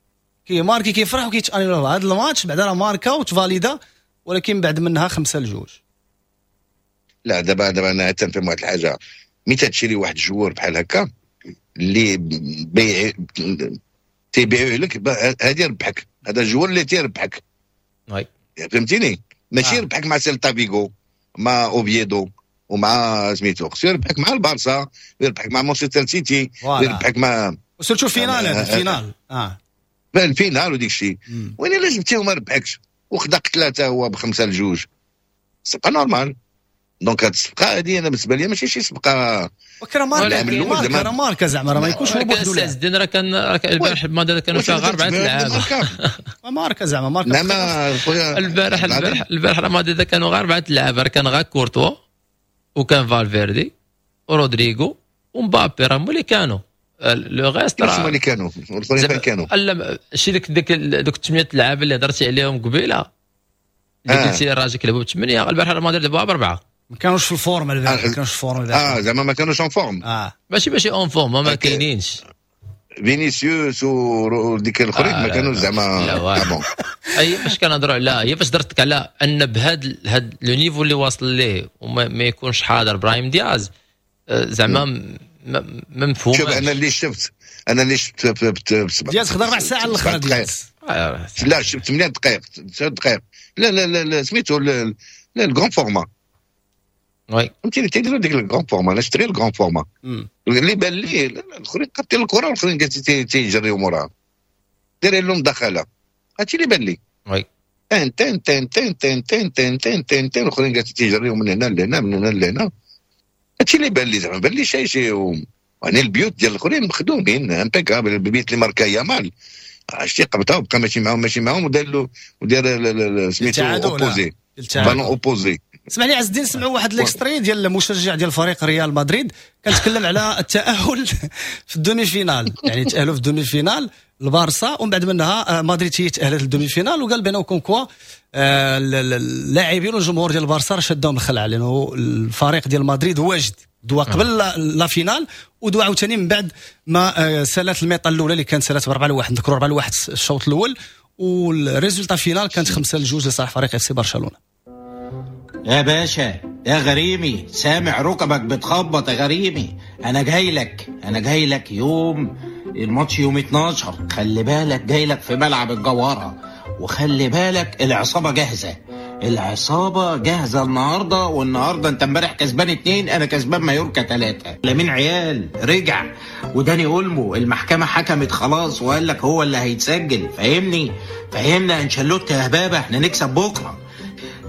كيماركي كيفرح وكيتانيولا. هذا الماتش بعدا راه ماركا وتفاليدا، ولكن بعد منها 5-2. لا دابا انا تنفهم واحد الحاجة، ملي تشري واحد ال joueur بحال هكا اللي بيع تيبيعوه لك هذا يربحك، هذا ال joueur اللي تيربحك فهمتيني؟ ماشي يربحك مع سيلتا فيغو مع اوفيدو ومع سميتو، خصو يربحك مع البارسا، يربحك مع مانشستر سيتي، يربحك مع surtout finale، هذا ال finale ال finale وديك الشيء. وين الا جبتيه وما ربحكش وخدا ثلاثة هو ب5-2 c'est pas normal. donc هاد الصفقة هادي انا بالنسبة لي ماشي شي صفقة، وكرا ماركا، راه ماركا زعما راه ما يكونش هو بوحدو. لا الدين راه كان البارح الماضي كانوا فيها غير 4 لعابه، ماركا زعما ماركا. نعم خويا البارح الماضي كانوا غير 4 لعابه، كان غير كورتوا وكان فالفيردي ورودريغو ومبابي، راه هما اللي كانوا le reste، راه هما اللي كانوا الاخرين كانوا لا شي ديك دوك 8 لعابه اللي هضرتي عليهم قبيلة اللي قلتي الراجل كيلعبوا ب8، البارح الماضي لعبوها ب4، ما كانوش في ال forme البارح، ما كانوش في ال forme البارح. زعما ما كانوش en forme، ماشي en forme، ما كاينينش فينيسيوس وديك الاخرين ما كانوش زعما bon. اي فاش كنهضروا على هي فاش درتك على ان بهذا هاد le niveau اللي واصل ليه وما ما يكونش حاضر براهيم دياز زعما ما مفهوم. شوف انا اللي شفت، دياز خدا ربع ساعة الاخرى دياز، لا شفت 8 دقائق 9 دقائق، لا لا لا لا سميتو لا ال grand format oui فهمتيني، تيديروا ديك ال grand format. انا شفت غير ال grand format اللي بان لي الاخرين قابطين الكره والاخرين تيجريو موراها دايرين لهم دخله، هادشي اللي بان لي oui تن تن تن تن تن تن تن تن تن تن الاخرين تيجريو من هنا لهنا من هنا لهنا، هادشي اللي بان لي زعما بان لي شي شي. يعني البيوت ديال الاخرين مخدومين impeccable، البيوت اللي ماركا يامال عرفتي قبطها وبقى ماشي معاهم ماشي معاهم ودار له ودار سميتو opposé ballon opposé. اسمعني عز الدين، سمعوا واحد l'extrait ديال المشجع ديال فريق ريال مدريد كنتكلم على التاهل في ال demi-finale، يعني تاهلوا في ال demi-finale البارسا ومن بعد منها مدريد هي تاهلت لل demi-finale، وقال بانه comme quoi اللاعبين والجمهور ديال البارسا راه شدهم الخلعة لانه الفريق ديال مدريد واجد دوا قبل la finale ودوا عاوتاني من بعد ما سالات ال mi-temps الاولى اللي كانت سالات ب4-1، نذكروا 4-1 الشوط الاول، وال résultat final كانت 5-2 لصالح فريق FC برشلونة. يا باشا يا غريمي، سامع ركبك بتخبط يا غريمي، انا جاي لك، انا جاي لك يوم الماتش يوم 12، خلي بالك جاي لك في ملعب الجوهرة، وخلي بالك العصابة جاهزة، العصابة جاهزة النهارده. والنهارده انت امبارح كسبان 2، انا كسبان مايوركا 3. لامين عيال رجع، وداني اولمو المحكمة حكمت خلاص وقال لك هو اللي هيتسجل، فاهمني؟ فهمنا انشيلوتي يا هبابه، احنا نكسب بكره.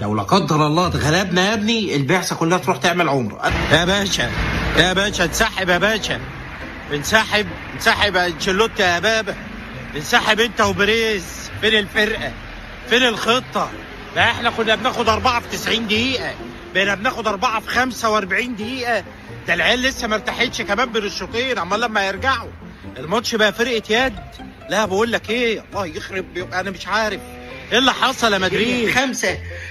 لو لا قدر الله اتغلبنا يا ابني البعثة كلها تروح تعمل عمره. يا باشا يا باشا انسحب يا باشا، انسحب انسحب يا انشيلوتي يا بابا، انسحب انت وبريز. فين الفرقة؟ فين الخطة؟ ما احنا كنا بناخد 4 في 90 دقيقة، بقينا بناخد 4 في 45 دقيقة. ده العيال لسه ما ارتاحتش كمان بين الشوطين، عمال لما يرجعوا الماتش بقى فرقه يد. لا بقول لك ايه، الله يخرب، انا مش عارف ايه اللي حصل يا مدريد.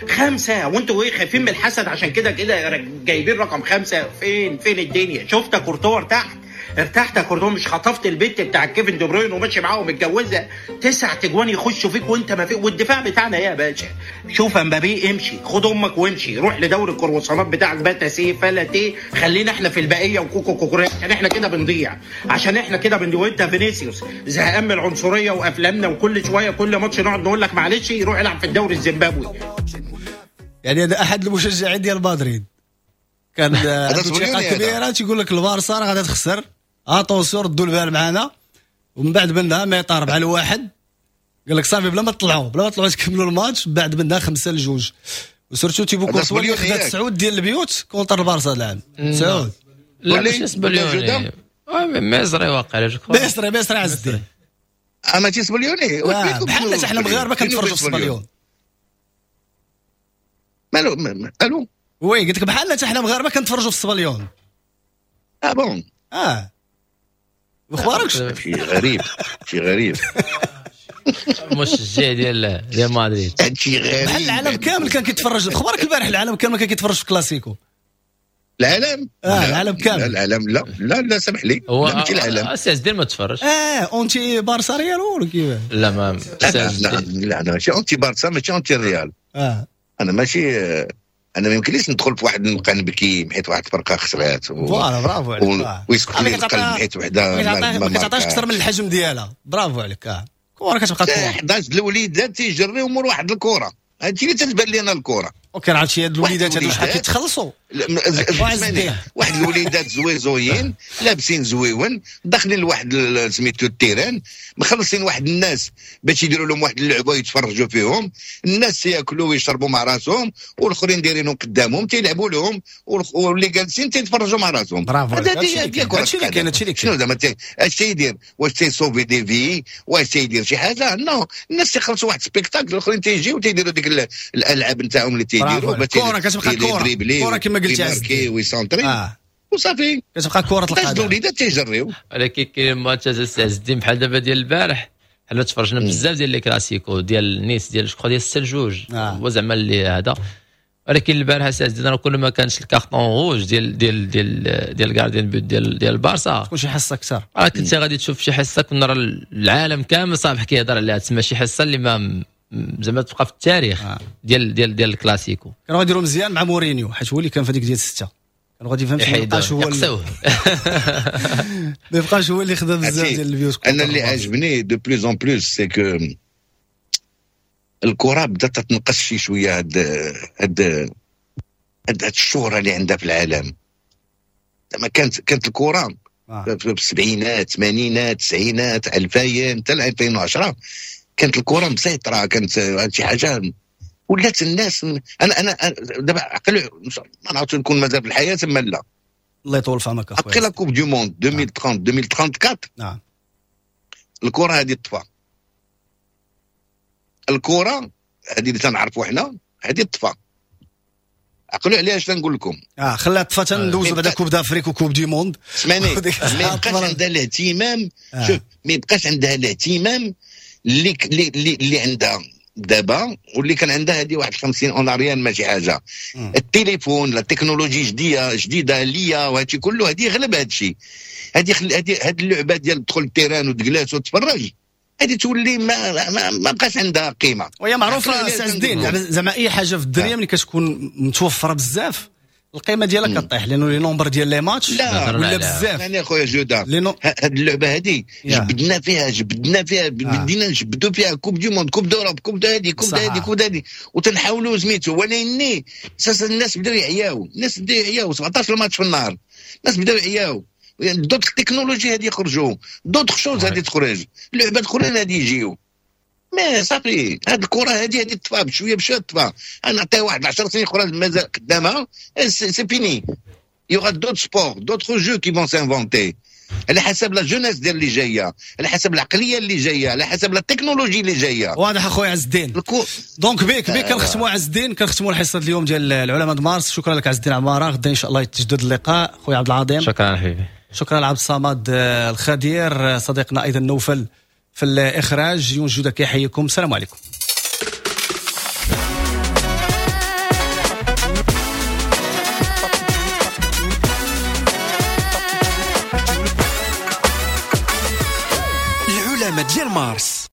5 وانتوا ايه خايفين من الحسد؟ عشان كده كده جايبين رقم 5. فين الدنيا؟ شفت كورتوا تحت، ارتحت يا كورتوا؟ مش خطفت البت بتاع كيفن دي بروين وماشي معاه ومتجوزها؟ 9 تجوان يخشوا فيك وانت ما فيك، والدفاع بتاعنا يا باشا. شوف امبابي امشي، خد امك وامشي، روح لدوري الكرواسونات بتاعك بقى سي فلا تي، خلينا احنا في البقية وكوكو كوكوريا، عشان احنا كده بنضيع، عشان احنا كده بنضيع. وانت فينيسيوس زهقان من العنصرية وافلامنا، وكل شوية كل ماتش نقعد نقول لك معلش روح العب في الدوري الزيمبابوي. يعني هذا احد المشجعين ديال مدريد كان عنده ثقة كبيرة، تيقول لك البارسا راه غادا تخسر، attention ردوا البال معنا. ومن بعد منها mi-temps 4-1، قال لك صافي بلا ما تطلعوا، بلا ما تطلعوا تكملوا الماتش. بعد منها 5-2، و surtout تيبو كورتوا اللي خدا 9 ديال البيوت contre البارسا هذا العام. 9 لا ماشي سبليوني، مصري واقع مصري عز الدين. ماشي سبليوني بحال حنا مغاربة كنتفرجوا في سبليون. مالو الو oui قلت لك بحال حتى حنا مغاربة كنتفرجوا في السبليون. ah bon مخباركش؟ شي غريب، شي غريب. مشجع ديال مدريد، شي غريب. بحال العالم كامل كان كيتفرج. خبارك البارح العالم كامل كان كيتفرج في كلاسيكو. العالم؟ العالم كامل. العالم لا لا لا سمح لي، ماشي العالم. سي عز الدين ما تفرج. anti بارسا ريال ولا كيفاش؟ لا ما لا لا انا ماشي anti بارسا، ماشي anti ريال. انا ماشي، انا ما يمكنليش ندخل في واحد نبقى نبكي حيت واحد الفرقة خسرات voilà برافو عليك، ويسكت لي القلب حيت وحده ما كتعطيش اكثر من الحجم ديالها. برافو عليك. كره كتبقى كره. 11 الوليدات تيجريو مور واحد الكره، هادشي اللي تتبان لينا الكره. OK عرفتي هاد الوليدات هادو شحال كيتخلصوا؟ واحد الوليدات زويزويين لابسين زويون داخلين لواحد سميتو ال terrain، مخلصين واحد الناس باش يديروا لهم واحد اللعبة يتفرجوا فيهم، الناس ياكلوا ويشربوا مع راسهم، والاخرين دايرينهم قدامهم تيلعبوا لهم، واللي جالسين تيتفرجوا مع راسهم. برافو. هادشي اللي كاين، هادشي اللي كاين. شنو زعما اش تيدير؟ واش تي sauver des vies؟ واش تيدير شي حاجة؟ non، الناس تيخلصوا واحد spectacle، الاخرين تيجيو تيديروا ديك الالعاب نتاعهم اللي تيديروا. كره كتبقى كره، كره كما قلتي عز ويسونطري وصافي، كتبقى كره القدم. الوليدات تيجريو. ولكن كاين ماتش عز الدين بحال دابا ديال البارح، حنا تفرجنا بزاف ديال les كلاسيكو ديال نيس ديال جو ديال 6-2 هو زعما اللي هذا. ولكن البارح عز الدين راه كل ما كانش ال carton rouge ديال ديال ديال ديال gardien but ديال البارسا تكون شي حصة اكثر. راه كنت غادي تشوف شي حصة كنا راه العالم كامل صافي كيهضر عليها، تسمى شي حصة اللي ما زعما تبقى في التاريخ ديال ديال ديال الكلاسيكو. كانوا غاديروا مزيان مع مورينيو حيت هو اللي كان في هذيك ديال 6، كانوا غادي فهمت ما يبقاش هو ما يبقاش هو اللي خدا بزاف ديال البيوت. انا اللي عجبني de plus en plus c'est que الكره بدات تنقص شي شوية، هاد هاد هاد الشهرة اللي عندها في العالم. زعما كانت الكره في السبعينات الثمانينات التسعينات 2000 حتى 2010 كانت الكره مسيطرة، كانت شي حاجة ولات الناس. انا دابا عقل ما نعرفش نكون مازال في الحياة اما لا. الله يطول في عمرك اخويا. après la Coupe du Monde 2030 2034 نعم الكره هذه طفى. الكره هذه اللي تنعرفوا حنا هذه طفى. عقلوا عليها اش تنقول لكم. خليها طفى تندوزو بعدا Coupe d'Afrique و Coupe du Monde. سمعني، ما يبقاش عندها الاهتمام. شوف ما يبقاش عندها الاهتمام اللي اللي عندها دابا واللي كان عندها هذه واحد 50 en arrière ماشي حاجة. التليفون، la technologie جديدة ليا وهادشي كله، هذه غلب هادشي. هذه هاد اللعبة ديال تدخل ال terrain وتجلس وتتفرج، هذه تولي ما بقاش عندها قيمة. وهي معروفة سي عز الدين، زعما اي حاجة في الدنيا ملي كتكون متوفرة بزاف القيمة ديالها كطيح، لانه le nombre ديال les matchs ولا بزاف. يعني اخويا جوده هاد اللعبة هادي جبدنا فيها بدينا نجبدوا فيها Coupe du Monde، Coupe d'Europe، Coupe هادي، Coupe هادي، Coupe هادي، وتنحاولوا سميتو. ولكن اساسا الناس بداو يعياو، الناس بداو يعياو 17 ماتش في النهار، الناس بداو يعياو. d'autres technologies هادي يخرجوا، d'autres choses هادي تخرج، لعبات اخرين هادي يجيو. mais صافي هاد الكره هادي تطفى بشوية بشوية تطفى. انا نعطيها واحد 10 سنين اخرى مازال قدامها، c'est fini. y aura d'autres sports، d'autres jeux qui vont s'inventer على حسب la jeunesse ديال اللي جاية، على حسب العقلية اللي جاية، على حسب la technologie اللي جاية. واضح اخويا عز الدين. donc بيك كنختموا عز الدين، كنختموا الحصة اليوم ديال العلماء د مارس. شكرا لك عز الدين عمارة، غدا ان شاء الله يتجدد اللقاء. خويا عبد العظيم شكرا حبيبي. شكرا لعبد الصمد الخدير، صديقنا ايضا نوفل في الإخراج. يونس جودة كيحييكم، السلام عليكم. العلامة ديال مارس.